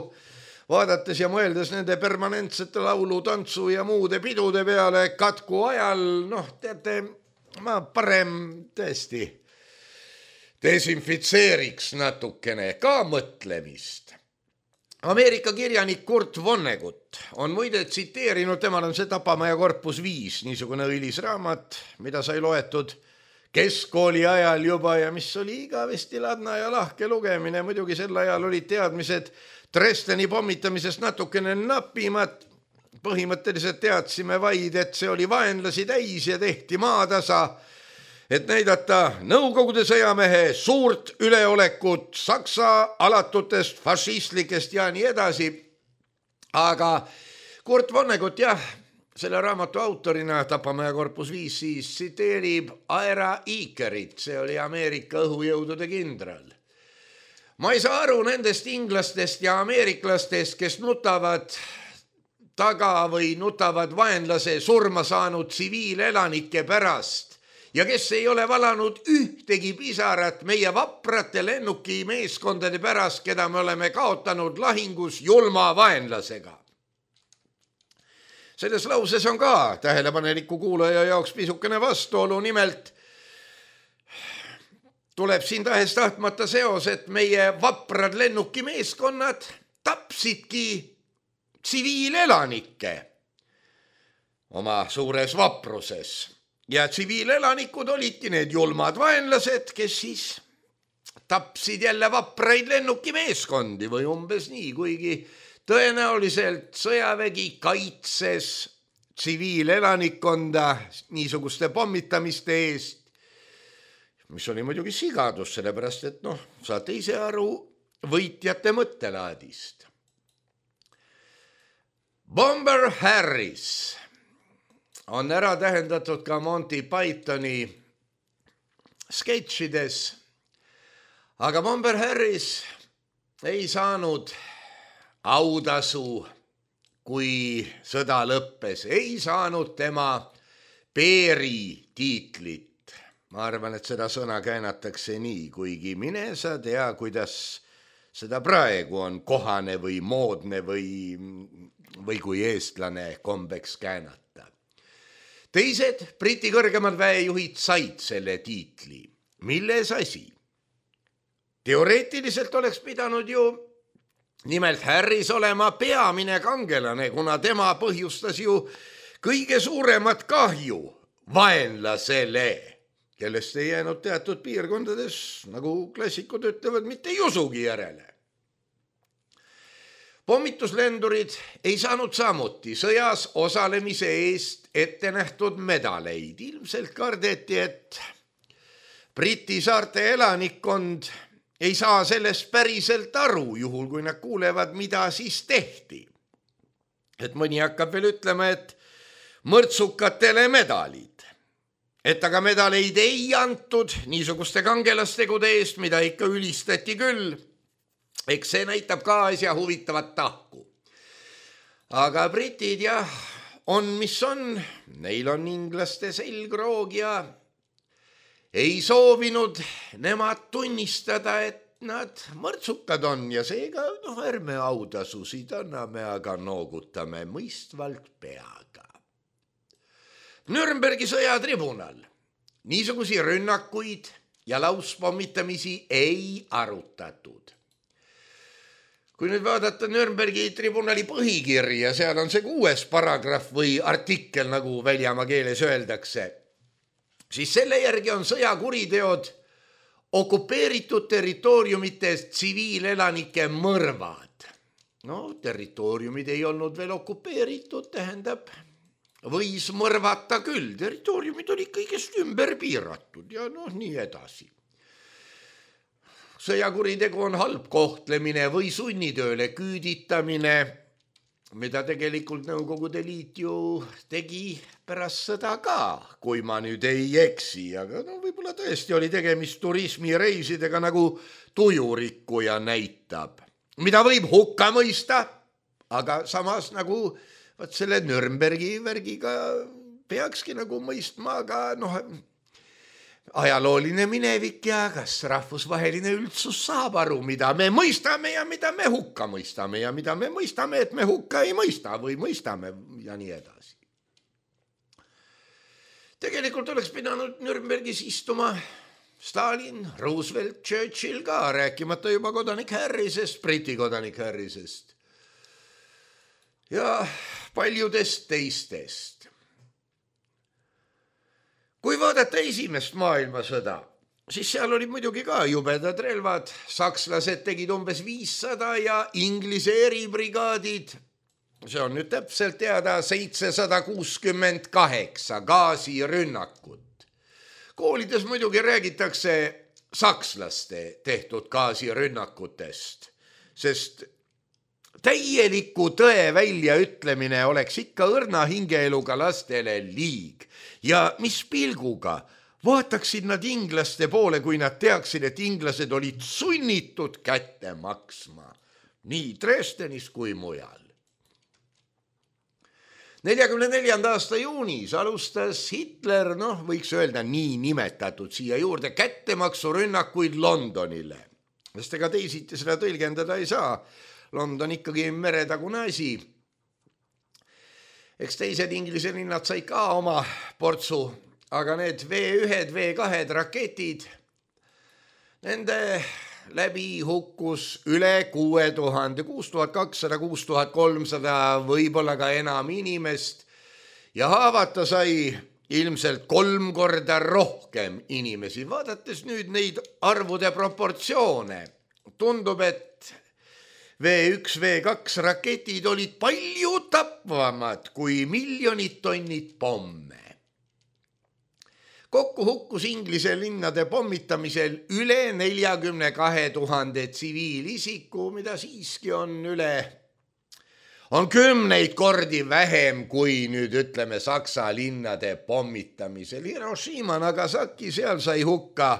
vaadates ja mõeldes nende permanentsete laulu, tantsu ja muude pidude peale katku ajal, noh, teate, ma parem tõesti desinfitseeriks natukene ka mõtlemist. Ameerika kirjanik Kurt Vonnegut on muide tsiteerinud, temal on see Tapamaja korpus viis, niisugune õilis raamat, mida sai loetud keskkooli ajal juba ja mis oli igavesti ladna ja lahke lugemine. Muidugi sel ajal olid teadmised Dresdeni pommitamisest natukene napimad. Põhimõtteliselt teadsime vaid, et see oli vaenlasi täis ja tehti maatasa, et näidata Nõukogude sõjamehe suurt üleolekut Saksa alatutest, fašistlikest ja nii edasi. Aga Kurt Vonnegut, jah, selle raamatu autorina Tapamaja korpus viis siis tsiteerib Ira Eakerit, see oli Ameerika õhujõudude kindral. Ma ei saa aru nendest inglastest ja ameeriklastest, kes nutavad taga või nutavad vaenlase surma saanud tsiviilelanike pärast ja kes ei ole valanud ühtegi pisarat meie vaprate lennuki meeskondade pärast, keda me oleme kaotanud lahingus julma vaenlasega. Selles lauses on ka tähelepaneliku kuulaja jaoks pisukene vastuolu, nimelt tuleb siin tahes tahtmata seos, et meie vaprad lennuki meeskonnad tapsidki tsiviilelanikke oma suures vapruses ja tsiviilelanikud olidki need julmad vaenlased, kes siis tapsid jälle vapraid lennuki meeskondi või umbes nii, kuigi tõenäoliselt sõjavägi kaitses tsiviilelanikkonda niisuguste pommitamiste eest, mis oli muidugi sigadus, sellepärast et noh, saate ise aru võitjate mõttelaadist. Bomber Harris on ära tähendatud ka Monty Pythoni sketšides, aga Bomber Harris ei saanud autasu, kui sõda lõppes, ei saanud tema Peeri tiitlit. Ma arvan, et seda sõna käänatakse nii, kuigi mine sa tea, kuidas seda praegu on kohane või moodne või, või kui eestlane kombeks käänata. Teised Briti kõrgemad väejuhid said selle tiitli. Milles asi? Teoreetiliselt oleks pidanud ju nimelt Harris olema peamine kangelane, kuna tema põhjustas ju kõige suuremat kahju vaenlasele, kellest ei jäänud teatud piirkondades, nagu klassikud ütlevad, mitte jusugi järele. Pommituslendurid ei saanud samuti sõjas osalemise eest ette nähtud medaleid. Ilmselt kardeti, et Briti saarte elanikkond ei saa sellest päriselt aru, juhul kui nad kuulevad, mida siis tehti. Et mõni hakkab veel ütlema, et mõrtsukatele medalid. Et aga medaleid ei antud niisuguste kangelastegude eest, mida ikka ülistati küll. Eks see näitab ka asja huvitavat tahku. Aga britid jah, on mis on, neil on inglaste selgroog ja ei soovinud nemad tunnistada, et nad mõrtsukad on ja seega noh, ärme autasusid anname, aga noogutame mõistvalt peaga. Nürnbergi sõjatribunal niisugusi rünnakuid ja lauspommitamisi ei arutatud. Kui nüüd vaadata Nürnbergi tribunali põhikirja, seal on see kuues paragrahv või artikkel, nagu väljamaa keeles öeldakse, siis selle järgi on sõjakuriteod okupeeritud territooriumites tsiviilelanike mõrvad. No, territooriumid ei olnud veel okupeeritud, tähendab, võis mõrvata küll, territooriumid olid kõigest ümber piiratud ja noh, nii edasi. Sõjakuritegu on halb kohtlemine või sunnitööle küüditamine, mida tegelikult Nõukogude Liit ju tegi pärast sõda ka, kui ma nüüd ei eksi, aga no võib-olla tõesti oli tegemist turismireisidega, nagu tujurikkuja näitab, mida võib hukka mõista, aga samas nagu vaat selle Nürnbergi värgiga peakski nagu mõistma, aga noh, ajalooline minevik ja kas rahvusvaheline üldsus saab aru, mida me mõistame ja mida me hukka mõistame ja mida me mõistame, et me hukka ei mõista või mõistame ja nii edasi. Tegelikult oleks pidanud Nürnbergis istuma Stalin, Roosevelt, Churchill ka, rääkimata juba kodanik Harrisest, Briti kodanik Harrisest ja paljudest teistest. Kui vaadata esimest maailmasõda, siis seal olid muidugi ka jubedad relvad, sakslased tegid umbes viissada ja Inglise eribrigaadid, see on nüüd täpselt teada, seitsesada kuuskümmend kaheksa gaasirünnakut. Koolides muidugi räägitakse sakslaste tehtud gaasirünnakutest, sest täieliku tõe väljaütlemine oleks ikka õrna hingeeluga lastele liig ja mis pilguga vaataksid nad inglaste poole, kui nad teaksid, et inglased olid sunnitud kätte maksma nii Dresdenis kui mujal. neljakümne neljanda aasta juunis alustas Hitler, noh, võiks öelda nii nimetatud siia juurde, kättemaksurünnakuid Londonile. Sest ega teisiti seda tõlgendada ei saa. London ikkagi meretagune asi. Eks teised Inglise linnad said ka oma portsu, aga need V üks, V kaks raketid, nende läbi hukkus üle kuue tuhande, kuus tuhat kakssada, kuus tuhat kolmsada, võib-olla ka enam inimest ja haavata sai ilmselt kolm korda rohkem inimesi. Vaadates nüüd neid arvude proportsioone, tundub, et V üks, V kaks raketid olid palju tapvamad kui miljonid tonnid pomme. Kokku hukkus Inglise linnade pommitamisel üle neljakümne kahe tuhande tsiviilisiku, mida siiski on üle, on kümneid kordi vähem kui nüüd ütleme Saksa linnade pommitamisel. Hiroshima, Nagasaki, seal sai hukka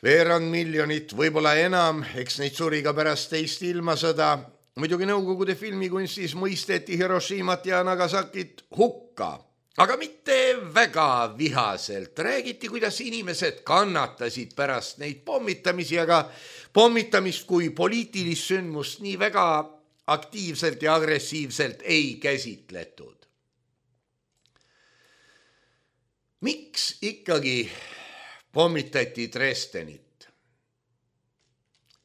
veerand miljonit, võib-olla enam, eks neid suri ka pärast teist ilmasõda. Muidugi Nõukogude filmikunstis mõisteti Hiroshimat ja Nagasakit hukka. Aga mitte väga vihaselt. Räägiti, kuidas inimesed kannatasid pärast neid pommitamisi, aga pommitamist kui poliitilist sündmust nii väga aktiivselt ja agressiivselt ei käsitletud. Miks ikkagi pommitati Dresdenit?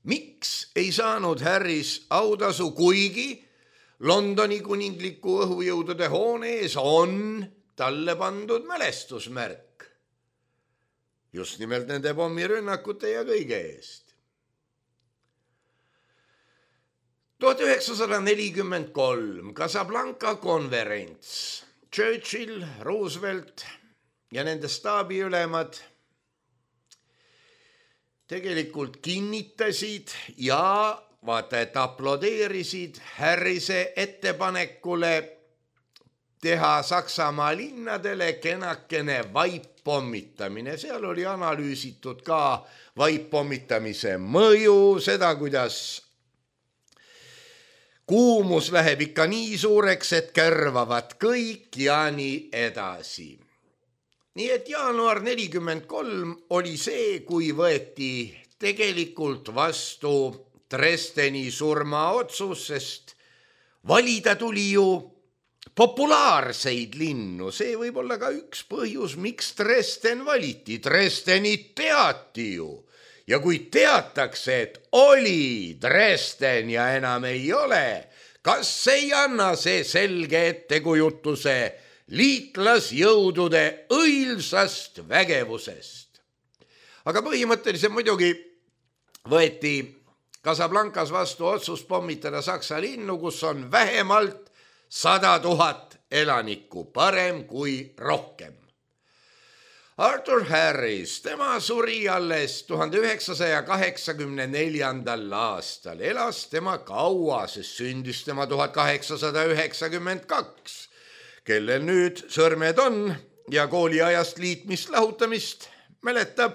Miks ei saanud Harris autasu, kuigi Londoni kuningliku õhujõudude hoone ees on talle pandud mälestusmärk just nimelt nende pommirünnakute ja kõige eest. tuhat üheksasada nelikümmend kolm Casablanca konverents. Churchill, Roosevelt ja nende staabiülemad tegelikult kinnitasid ja vaata, et aplodeerisid Harrise ettepanekule teha Saksamaa linnadele kenakene vaippommitamine. Seal oli analüüsitud ka vaippomitamise mõju, seda, kuidas kuumus läheb ikka nii suureks, et kärvavad kõik ja nii edasi. Nii et jaanuar nelikümmend kolm oli see, kui võeti tegelikult vastu Dresdeni surmaotsus, sest valida tuli ju populaarseid linnu. See võib olla ka üks põhjus, miks Dresden valiti. Dresdenit teati ju. Ja kui teatakse, et oli Dresden ja enam ei ole, kas ei anna see selge ettekujutuse liitlasjõudude õilsast vägevusest? Aga põhimõtteliselt muidugi võeti Casablancas vastu otsus pommitada Saksa linnu, kus on vähemalt sada tuhat elanikku, parem kui rohkem. Arthur Harris, tema suri alles tuhande üheksasaja kaheksakümne neljandal aastal. Elas tema kaua, sest sündis tema tuhat kaheksasada üheksakümmend kaks, kellel nüüd sõrmed on ja kooliajast liitmist lahutamist mäletab.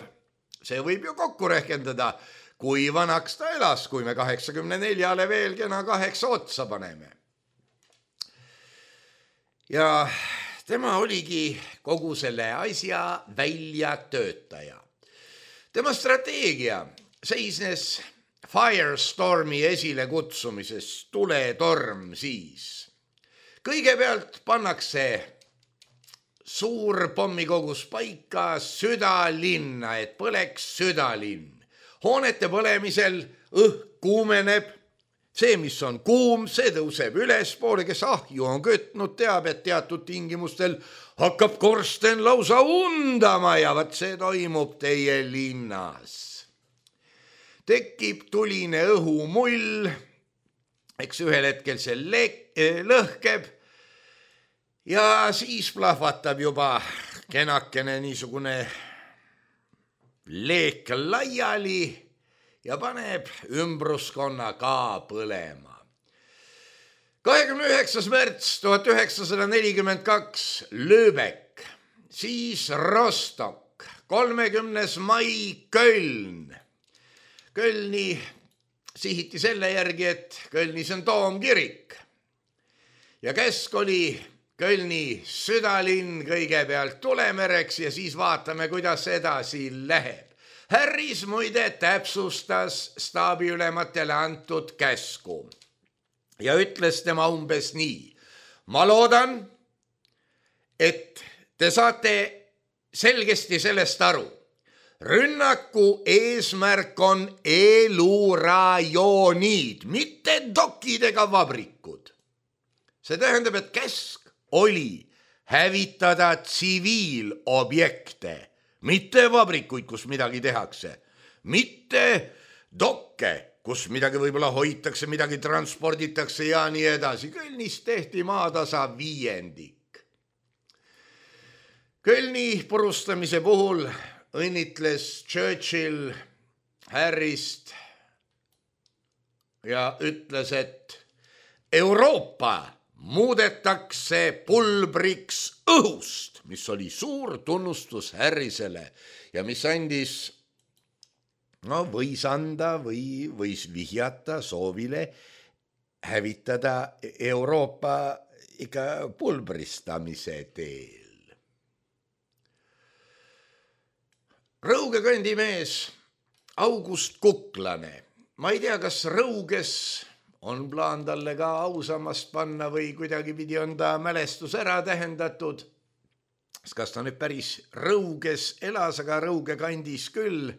See võib ju kokku rehkendada, kui vanaks ta elas, kui me kaheksakümne neljale veel kena kaheksa otsa paneme. Ja tema oligi kogu selle asja väljatöötaja. Tema strateegia seisnes Firestormi esile kutsumises, tuletorm siis. Kõigepealt pannakse suur pommikogus paika südalinna, et põleks südalinn. Hoonete põlemisel õhk kuumeneb, see, mis on kuum, see tõuseb ülespoole, kes ahju on kötnud, teab, et teatud tingimustel hakkab korsten lausa undama ja vaat see toimub teie linnas. Tekib tuline õhumull, eks ühel hetkel see le- lõhkeb ja siis plahvatab juba kenakene niisugune leek laiali ja paneb ümbruskonna ka põlema. kahekümne üheksas märts tuhat üheksasada nelikümmend kaks Lübeck, siis Rostock, kolmekümnes mai Köln. Kölni sihiti selle järgi, et Kölnis on toomkirik ja käsk oli Kölni südalinn kõigepealt tulemereks ja siis vaatame, kuidas edasi läheb. Harris muide täpsustas staabiülematele antud käsku ja ütles tema umbes nii. Ma loodan, et te saate selgesti sellest aru. Rünnaku eesmärk on elurajoonid, mitte dokid ega vabrikud. See tähendab, et käsk oli hävitada tsiviilobjekte, mitte vabrikuid, kus midagi tehakse, mitte dokke, kus midagi võib-olla hoitakse, midagi transporditakse ja nii edasi. Kölnis tehti maatasa viiendik. Kölni purustamise puhul õnnitles Churchill Harrist ja ütles, et Euroopa muudetakse pulbriks õhust, mis oli suur tunnustus Harrisele ja mis andis, no võis anda või võis vihjata soovile hävitada Euroopa ikka pulbristamise teel. Rõuge kandimees August Kuklane. Ma ei tea, kas Rõuges on plaan talle ka ausammast panna või kuidagi pidi on ta mälestus ära tähendatud. Kas ta nüüd päris Rõuges elas, aga Rõuge kandis küll.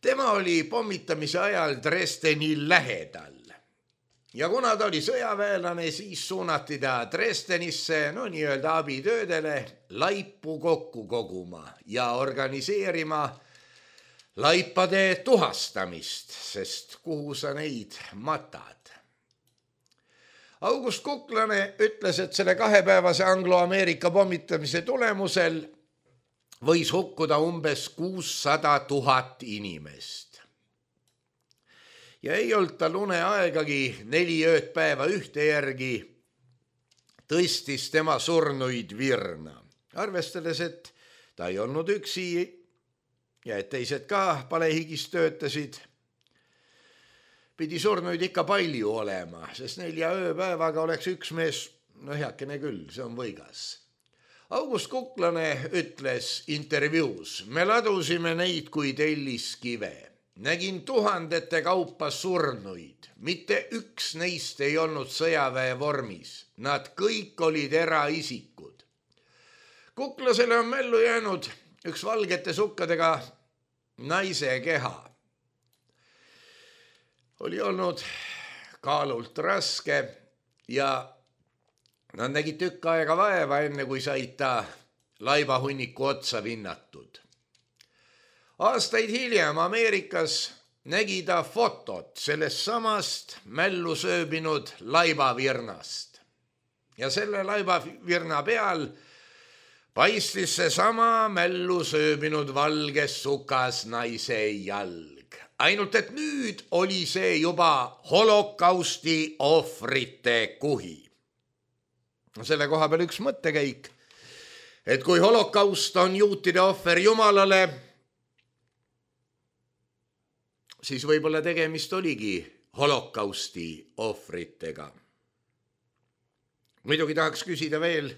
Tema oli pommitamise ajal Dresdeni lähedal. Ja kuna ta oli sõjaväelane, siis suunati ta Dresdenisse, no nii-öelda abitöödele, laipu kokku koguma ja organiseerima laipade tuhastamist, sest kuhu sa neid matad. August Kuklane ütles, et selle kahepäevase Anglo-Ameerika pommitamise tulemusel võis hukkuda umbes kuussada tuhat inimest. Ja ei olnud tal uneaegagi neli ööd päeva ühte järgi tõstis tema surnuid virna. Arvestades, et ta ei olnud üksi ja et teised ka palehigis töötasid, pidi surnuid ikka palju olema, sest nelja ööpäevaga oleks üks mees, no heakene küll, see on võigas. August Kuklane ütles intervjuus, me ladusime neid kui telliskive. Nägin tuhandete kaupa surnuid, mitte üks neist ei olnud sõjaväe vormis. Nad kõik olid eraisikud. Kuklasele on mällu jäänud üks valgete sukkadega naise keha. Oli olnud kaalult raske ja nad nägid tükk aega vaeva, enne kui said ta laibahunniku otsa vinnatud. Aastaid hiljem Ameerikas nägi ta fotot sellest samast mällu sööbinud laibavirnast. Ja selle laibavirna peal paistis see sama mällu sööbinud valges sukas naise jalg. Ainult et nüüd oli see juba holokausti ohvrite kuhi. Selle koha peal üks mõttekäik, et kui holokaust on juutide ohver Jumalale, siis võib-olla tegemist oligi holokausti ohvritega. Muidugi tahaks küsida veel,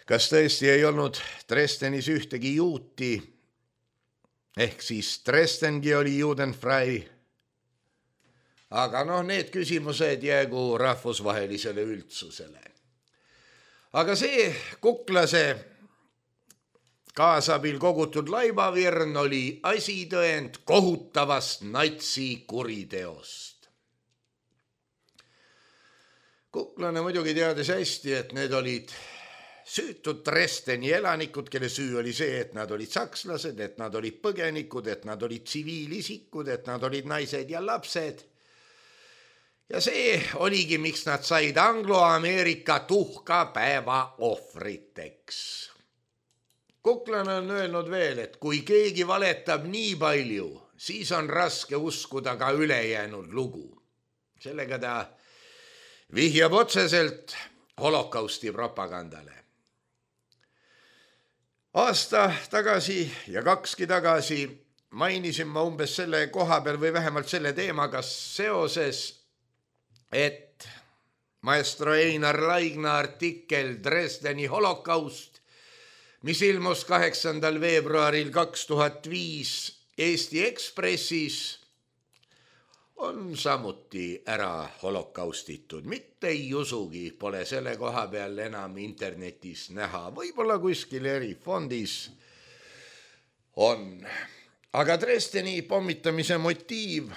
kas tõesti ei olnud Dresdenis ühtegi juuti, ehk siis Dresdengi oli judenfrei, aga noh, need küsimused jäägu rahvusvahelisele üldsusele. aga see Kuklase kaasabil kogutud laibavirn oli asitõend kohutavast natsi kuriteost. Kuklane muidugi teadis hästi, et need olid süütud Dresdeni elanikud, kelle süü oli see, et nad olid sakslased, et nad olid põgenikud, et nad olid tsiviilisikud, et nad olid naised ja lapsed. Ja see oligi, miks nad said Anglo-Ameerika tuhkapäeva ohvriteks. Kuklane on öelnud veel, et kui keegi valetab nii palju, siis on raske uskuda ka ülejäänud lugu. Sellega ta vihjab otseselt holokausti propagandale. Aasta tagasi ja kakski tagasi mainisin ma umbes selle koha peal või vähemalt selle teemaga seoses, et maestro Einar Laigna artikkel Dresdeni holokaust, mis ilmus kaheksandal veebruaril kaks tuhat viis Eesti Ekspressis, on samuti ära holokaustitud. Mitte ei usugi, pole selle koha peal enam internetis näha. Võib-olla kuskil erifondis on. Aga Dresdeni pommitamise motiiv,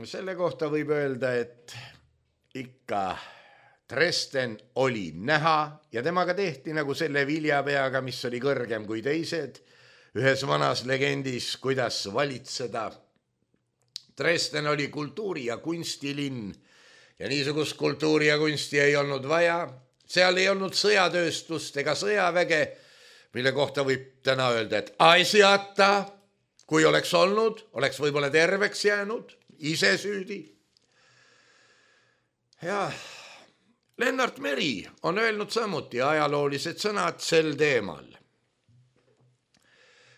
selle kohta võib öelda, et ikka Dresden oli näha ja temaga tehti nagu selle viljapeaga, mis oli kõrgem kui teised, ühes vanas legendis, kuidas valitseda. Dresden oli kultuuri- ja kunstilinn ja niisugust kultuuri ja kunsti ei olnud vaja. Seal ei olnud sõjatööstust ega sõjaväge, mille kohta võib täna öelda, et asjata, kui oleks olnud, oleks võib-olla terveks jäänud, ise süüdi. Ja Lennart Meri on öelnud samuti ajaloolised sõnad sel teemal.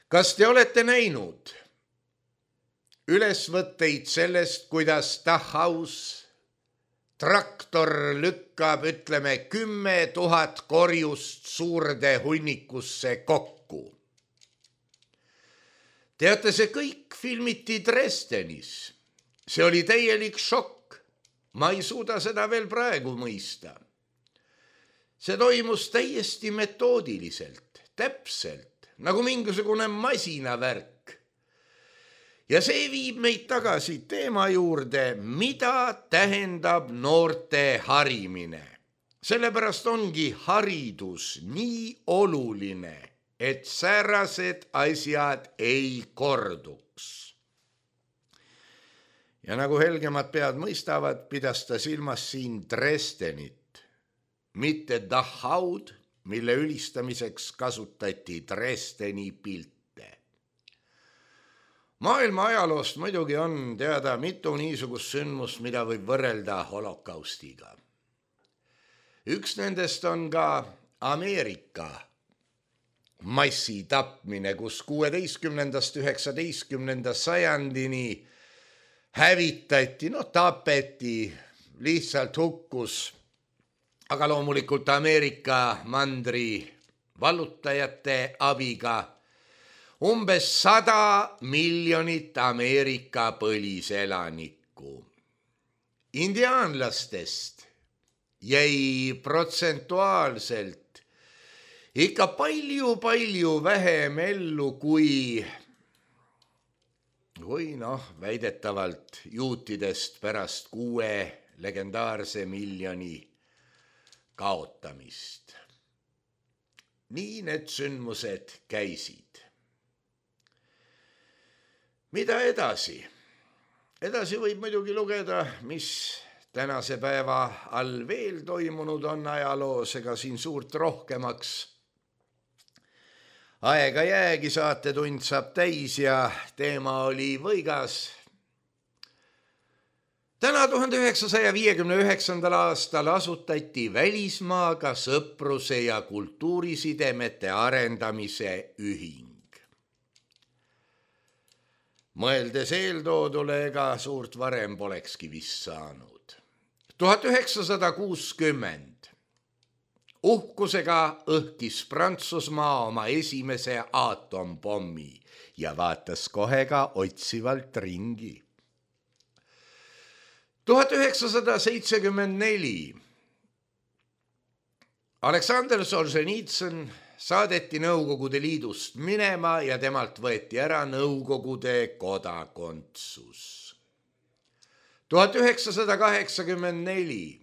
Kas te olete näinud ülesvõtteid sellest, kuidas Dachhaus traktor lükkab, ütleme, kümme tuhat korjust suurde hunnikusse kokku? Teate, see kõik filmiti Dresdenis. See oli täielik šokk. Ma ei suuda seda veel praegu mõista. See toimus täiesti metoodiliselt, täpselt, nagu mingisugune masinavärk. Ja see viib meid tagasi teema juurde, mida tähendab noorte harimine. Sellepärast ongi haridus nii oluline, et säärased asjad ei korduks. Ja nagu helgemad pead mõistavad, pidas ta silmas siin Dresdenit, mitte Dachhaud, mille ülistamiseks kasutati Dresdeni pilte. Maailma ajaloost muidugi on teada mitu niisugust sündmust, mida võib võrrelda holokaustiga. Üks nendest on ka Ameerika massitapmine, kus kuueteistkümnendast üheksateistkümnenda sajandini hävitati, no tapeti, lihtsalt hukkus, aga loomulikult Ameerika mandri vallutajate abiga umbes sada miljonit Ameerika põliselanikku. Indiaanlastest jäi protsentuaalselt ikka palju-palju vähem ellu kui, kui noh, väidetavalt juutidest pärast kuue legendaarse miljoni kaotamist. Nii need sündmused käisid. Mida edasi? Edasi võib muidugi lugeda, mis tänase päeva all veel toimunud on ajaloos, ega siin suurt rohkemaks aega jäägi, saatetund saab täis ja teema oli võigas. Täna tuhande üheksasaja viiekümne üheksandal aastal asutati välismaaga sõpruse ja kultuurisidemete arendamise ühing. Mõeldes eeltoodule ega suurt varem polekski vist saanud. tuhat üheksasada kuuskümmend uhkusega õhkis Prantsusmaa oma esimese aatompommi ja vaatas kohe ka otsivalt ringi. tuhat üheksasada seitsekümmend neli Aleksandr Solženitsõn saadeti Nõukogude Liidust minema ja temalt võeti ära Nõukogude kodakondsus. tuhat üheksasada kaheksakümmend neli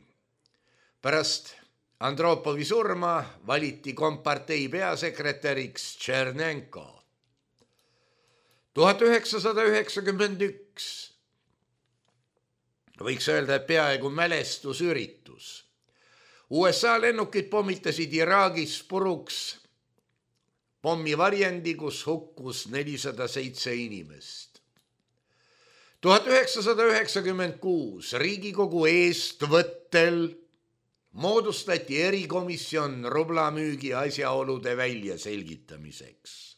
pärast Andropovi surma valiti kompartei peasekretäriks Tšernenko. tuhat üheksasada üheksakümmend üks võiks öelda, et peaaegu mälestusüritus. U S A lennukid pommitasid Iraagis puruks pommivarjendi, kus hukkus nelisada seitse inimest. tuhat üheksasada üheksakümmend kuus Riigikogu eestvõttel moodustati erikomisjon rublamüügi asjaolude väljaselgitamiseks.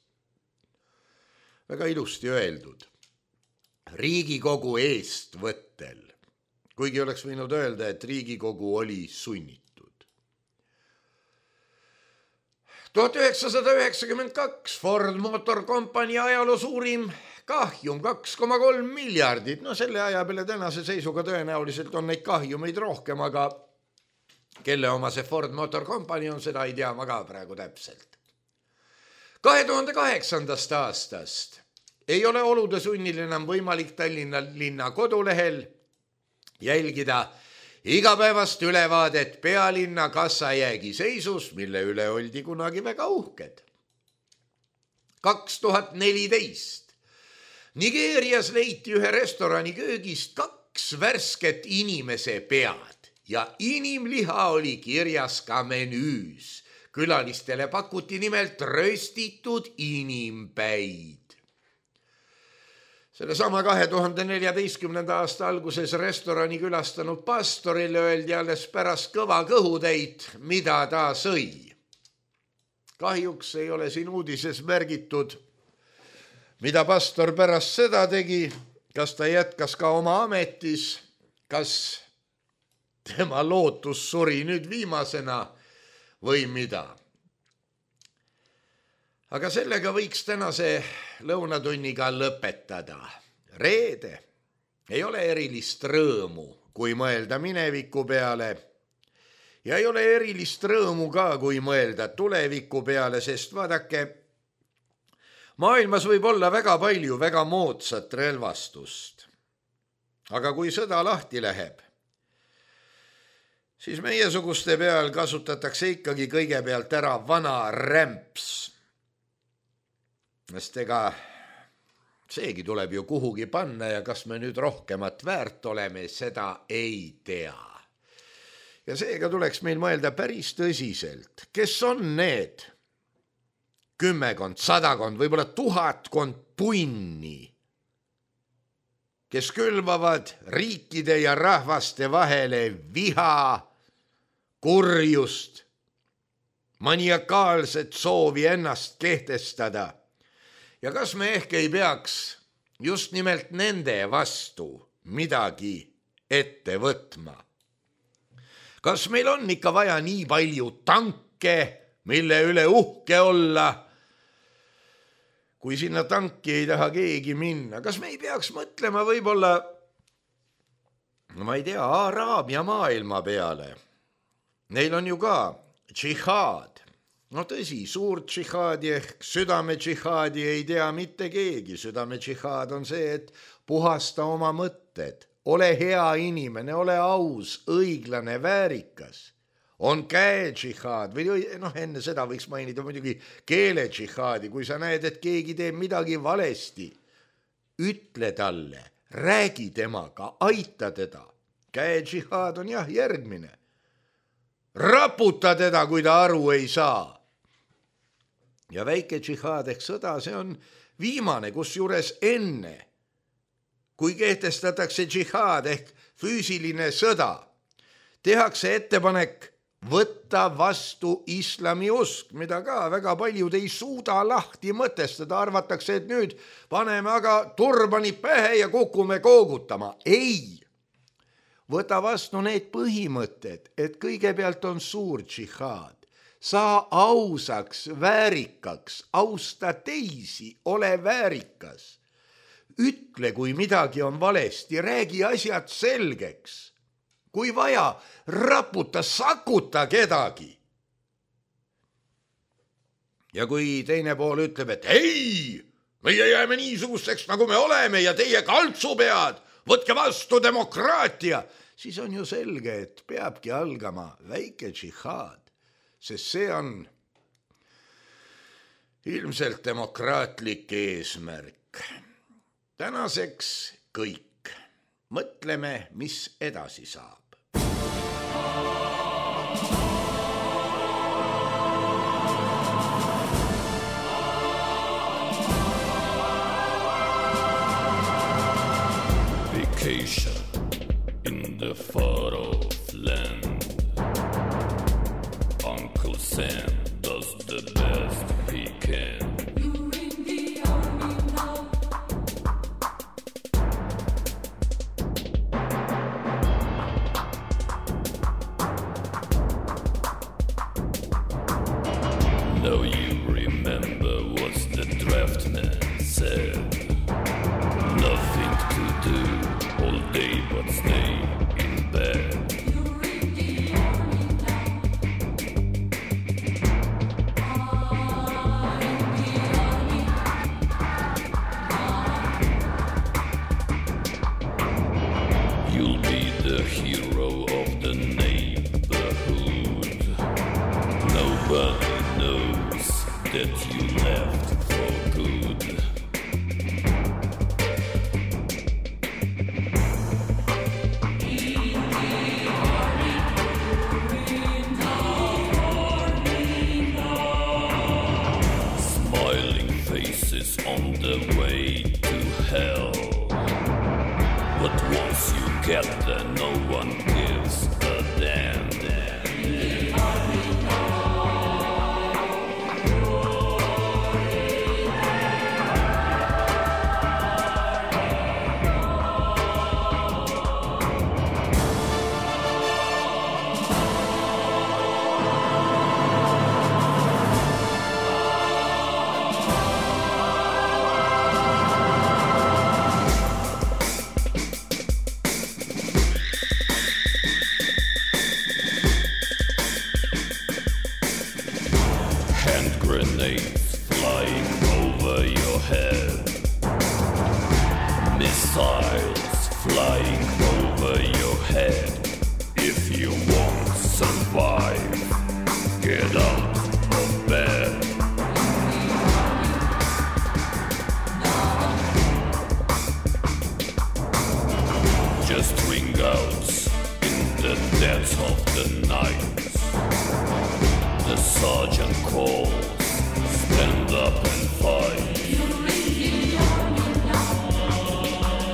Väga ilusti öeldud. Riigikogu eestvõttel, kuigi oleks võinud öelda, et Riigikogu oli sunnitud. tuhat üheksasada üheksakümmend kaks Ford Motor Company ajaloo suurim kahjum kaks koma kolm miljardit. No selle aja peale tänase seisuga tõenäoliselt on neid kahjumeid rohkem, aga kelle oma see Ford Motor Company on, seda ei tea ma ka praegu täpselt. kahe tuhande kaheksandast aastast ei ole olude sunnil enam võimalik Tallinna linna kodulehel jälgida igapäevast ülevaadet pealinna kassajäägi seisus, mille üle oldi kunagi väga uhked. kaks tuhat neliteist Nigeerias leiti ühe restorani köögist kaks värsket inimese pead ja inimliha oli kirjas ka menüüs. Külalistele pakuti nimelt röstitud inimpäid. Selle sama kahe tuhande neljateistkümnenda aasta alguses restorani külastanud pastorile öeldi alles pärast kõva kõhutäit, mida ta sõi. Kahjuks ei ole siin uudises märgitud, mida pastor pärast seda tegi, kas ta jätkas ka oma ametis, kas tema lootus suri nüüd viimasena või mida. Aga sellega võiks tänase lõunatunniga lõpetada. Reede ei ole erilist rõõmu, kui mõelda mineviku peale ja ei ole erilist rõõmu ka, kui mõelda tuleviku peale, sest vaadake, maailmas võib olla väga palju väga moodsat relvastust. Aga kui sõda lahti läheb, siis meiesuguste peal kasutatakse ikkagi kõigepealt ära vana rämps. Sest ega seegi tuleb ju kuhugi panna ja kas me nüüd rohkemat väärt oleme, seda ei tea. Ja seega tuleks meil mõelda päris tõsiselt, kes on need kümmekond, sadakond, võib-olla tuhatkond punni, kes külvavad riikide ja rahvaste vahele viha, kurjust, maniakaalset soovi ennast kehtestada. Ja kas me ehk ei peaks just nimelt nende vastu midagi ette võtma? Kas meil on ikka vaja nii palju tanke, mille üle uhke olla, kui sinna tanki ei taha keegi minna? Kas me ei peaks mõtlema võib-olla, no ma ei tea, Araabia maailma peale? Neil on ju ka džihaad. No tõsi, suurt džihaadi ehk südame džihaadi ei tea mitte keegi. Südame džihaad on see, et puhasta oma mõtted, ole hea inimene, ole aus, õiglane, väärikas. On käe džihaad või noh, enne seda võiks mainida muidugi keele džihaadi, kui sa näed, et keegi teeb midagi valesti. Ütle talle, räägi temaga, aita teda. Käe džihaad on jah järgmine. Raputa teda, kui ta aru ei saa. Ja väike džihaad ehk sõda, see on viimane, kus juures enne, kui kehtestatakse džihaad ehk füüsiline sõda, tehakse ettepanek võtta vastu islami usk, mida ka väga paljud ei suuda lahti mõtestada, arvatakse, et nüüd paneme aga turbani pähe ja kukume koogutama. Ei, võta vastu need põhimõtted, et kõigepealt on suur džihaad. Saa ausaks, väärikaks, austa teisi, ole väärikas. Ütle, kui midagi on valesti, räägi asjad selgeks. Kui vaja, raputa, sakuta kedagi. ja kui teine pool ütleb, et ei, meie jääme niisugusteks, nagu me oleme ja teie kaltsupead, võtke vastu demokraatia, siis on ju selge, et peabki algama väike džihaad, sest see on ilmselt demokraatlik eesmärk. Tänaseks kõik. Mõtleme, mis edasi saab. Vacation in the far off land. Uncle Sam does the best he can. You're in the army now. Now you remember what the draftman said. Nothing to do all day but stay in bed. You're in the army now. I'm in the army. You'll be the hero of the neighborhood. Nobody knows that you left for good. Smiling faces on the way to hell. But once you get there, no one gives a damn. Hand grenades flying over your head. Missiles flying over your head. If you won't survive, get out of bed. Just ring out in the depths of the night. The sergeant calls, stand up and fight. You're in the army now. I'm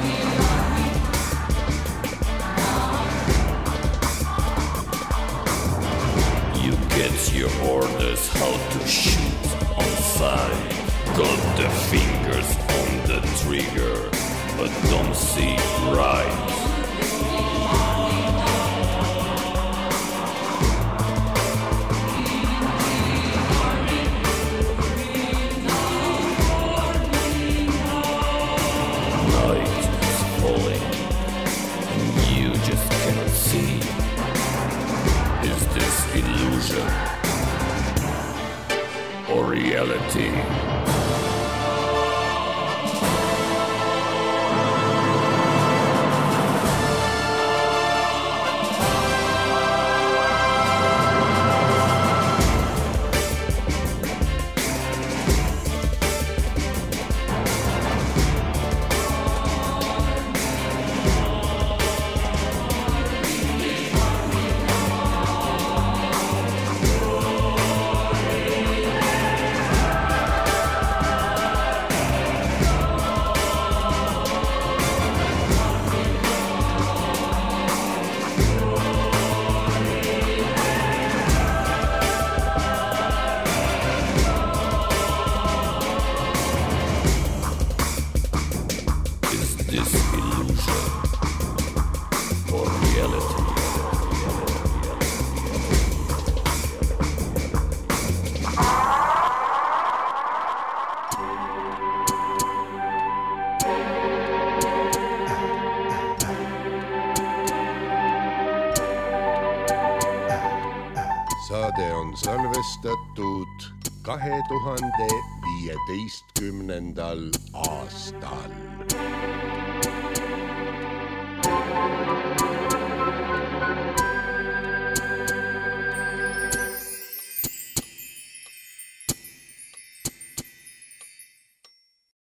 in the army. You get your orders how to shoot on sight. Got the fingers on the trigger, but don't see right. Night is falling, and you just cannot see. Is this illusion or reality? saade on salvestatud kahe tuhande viieteistkümnendal aastal.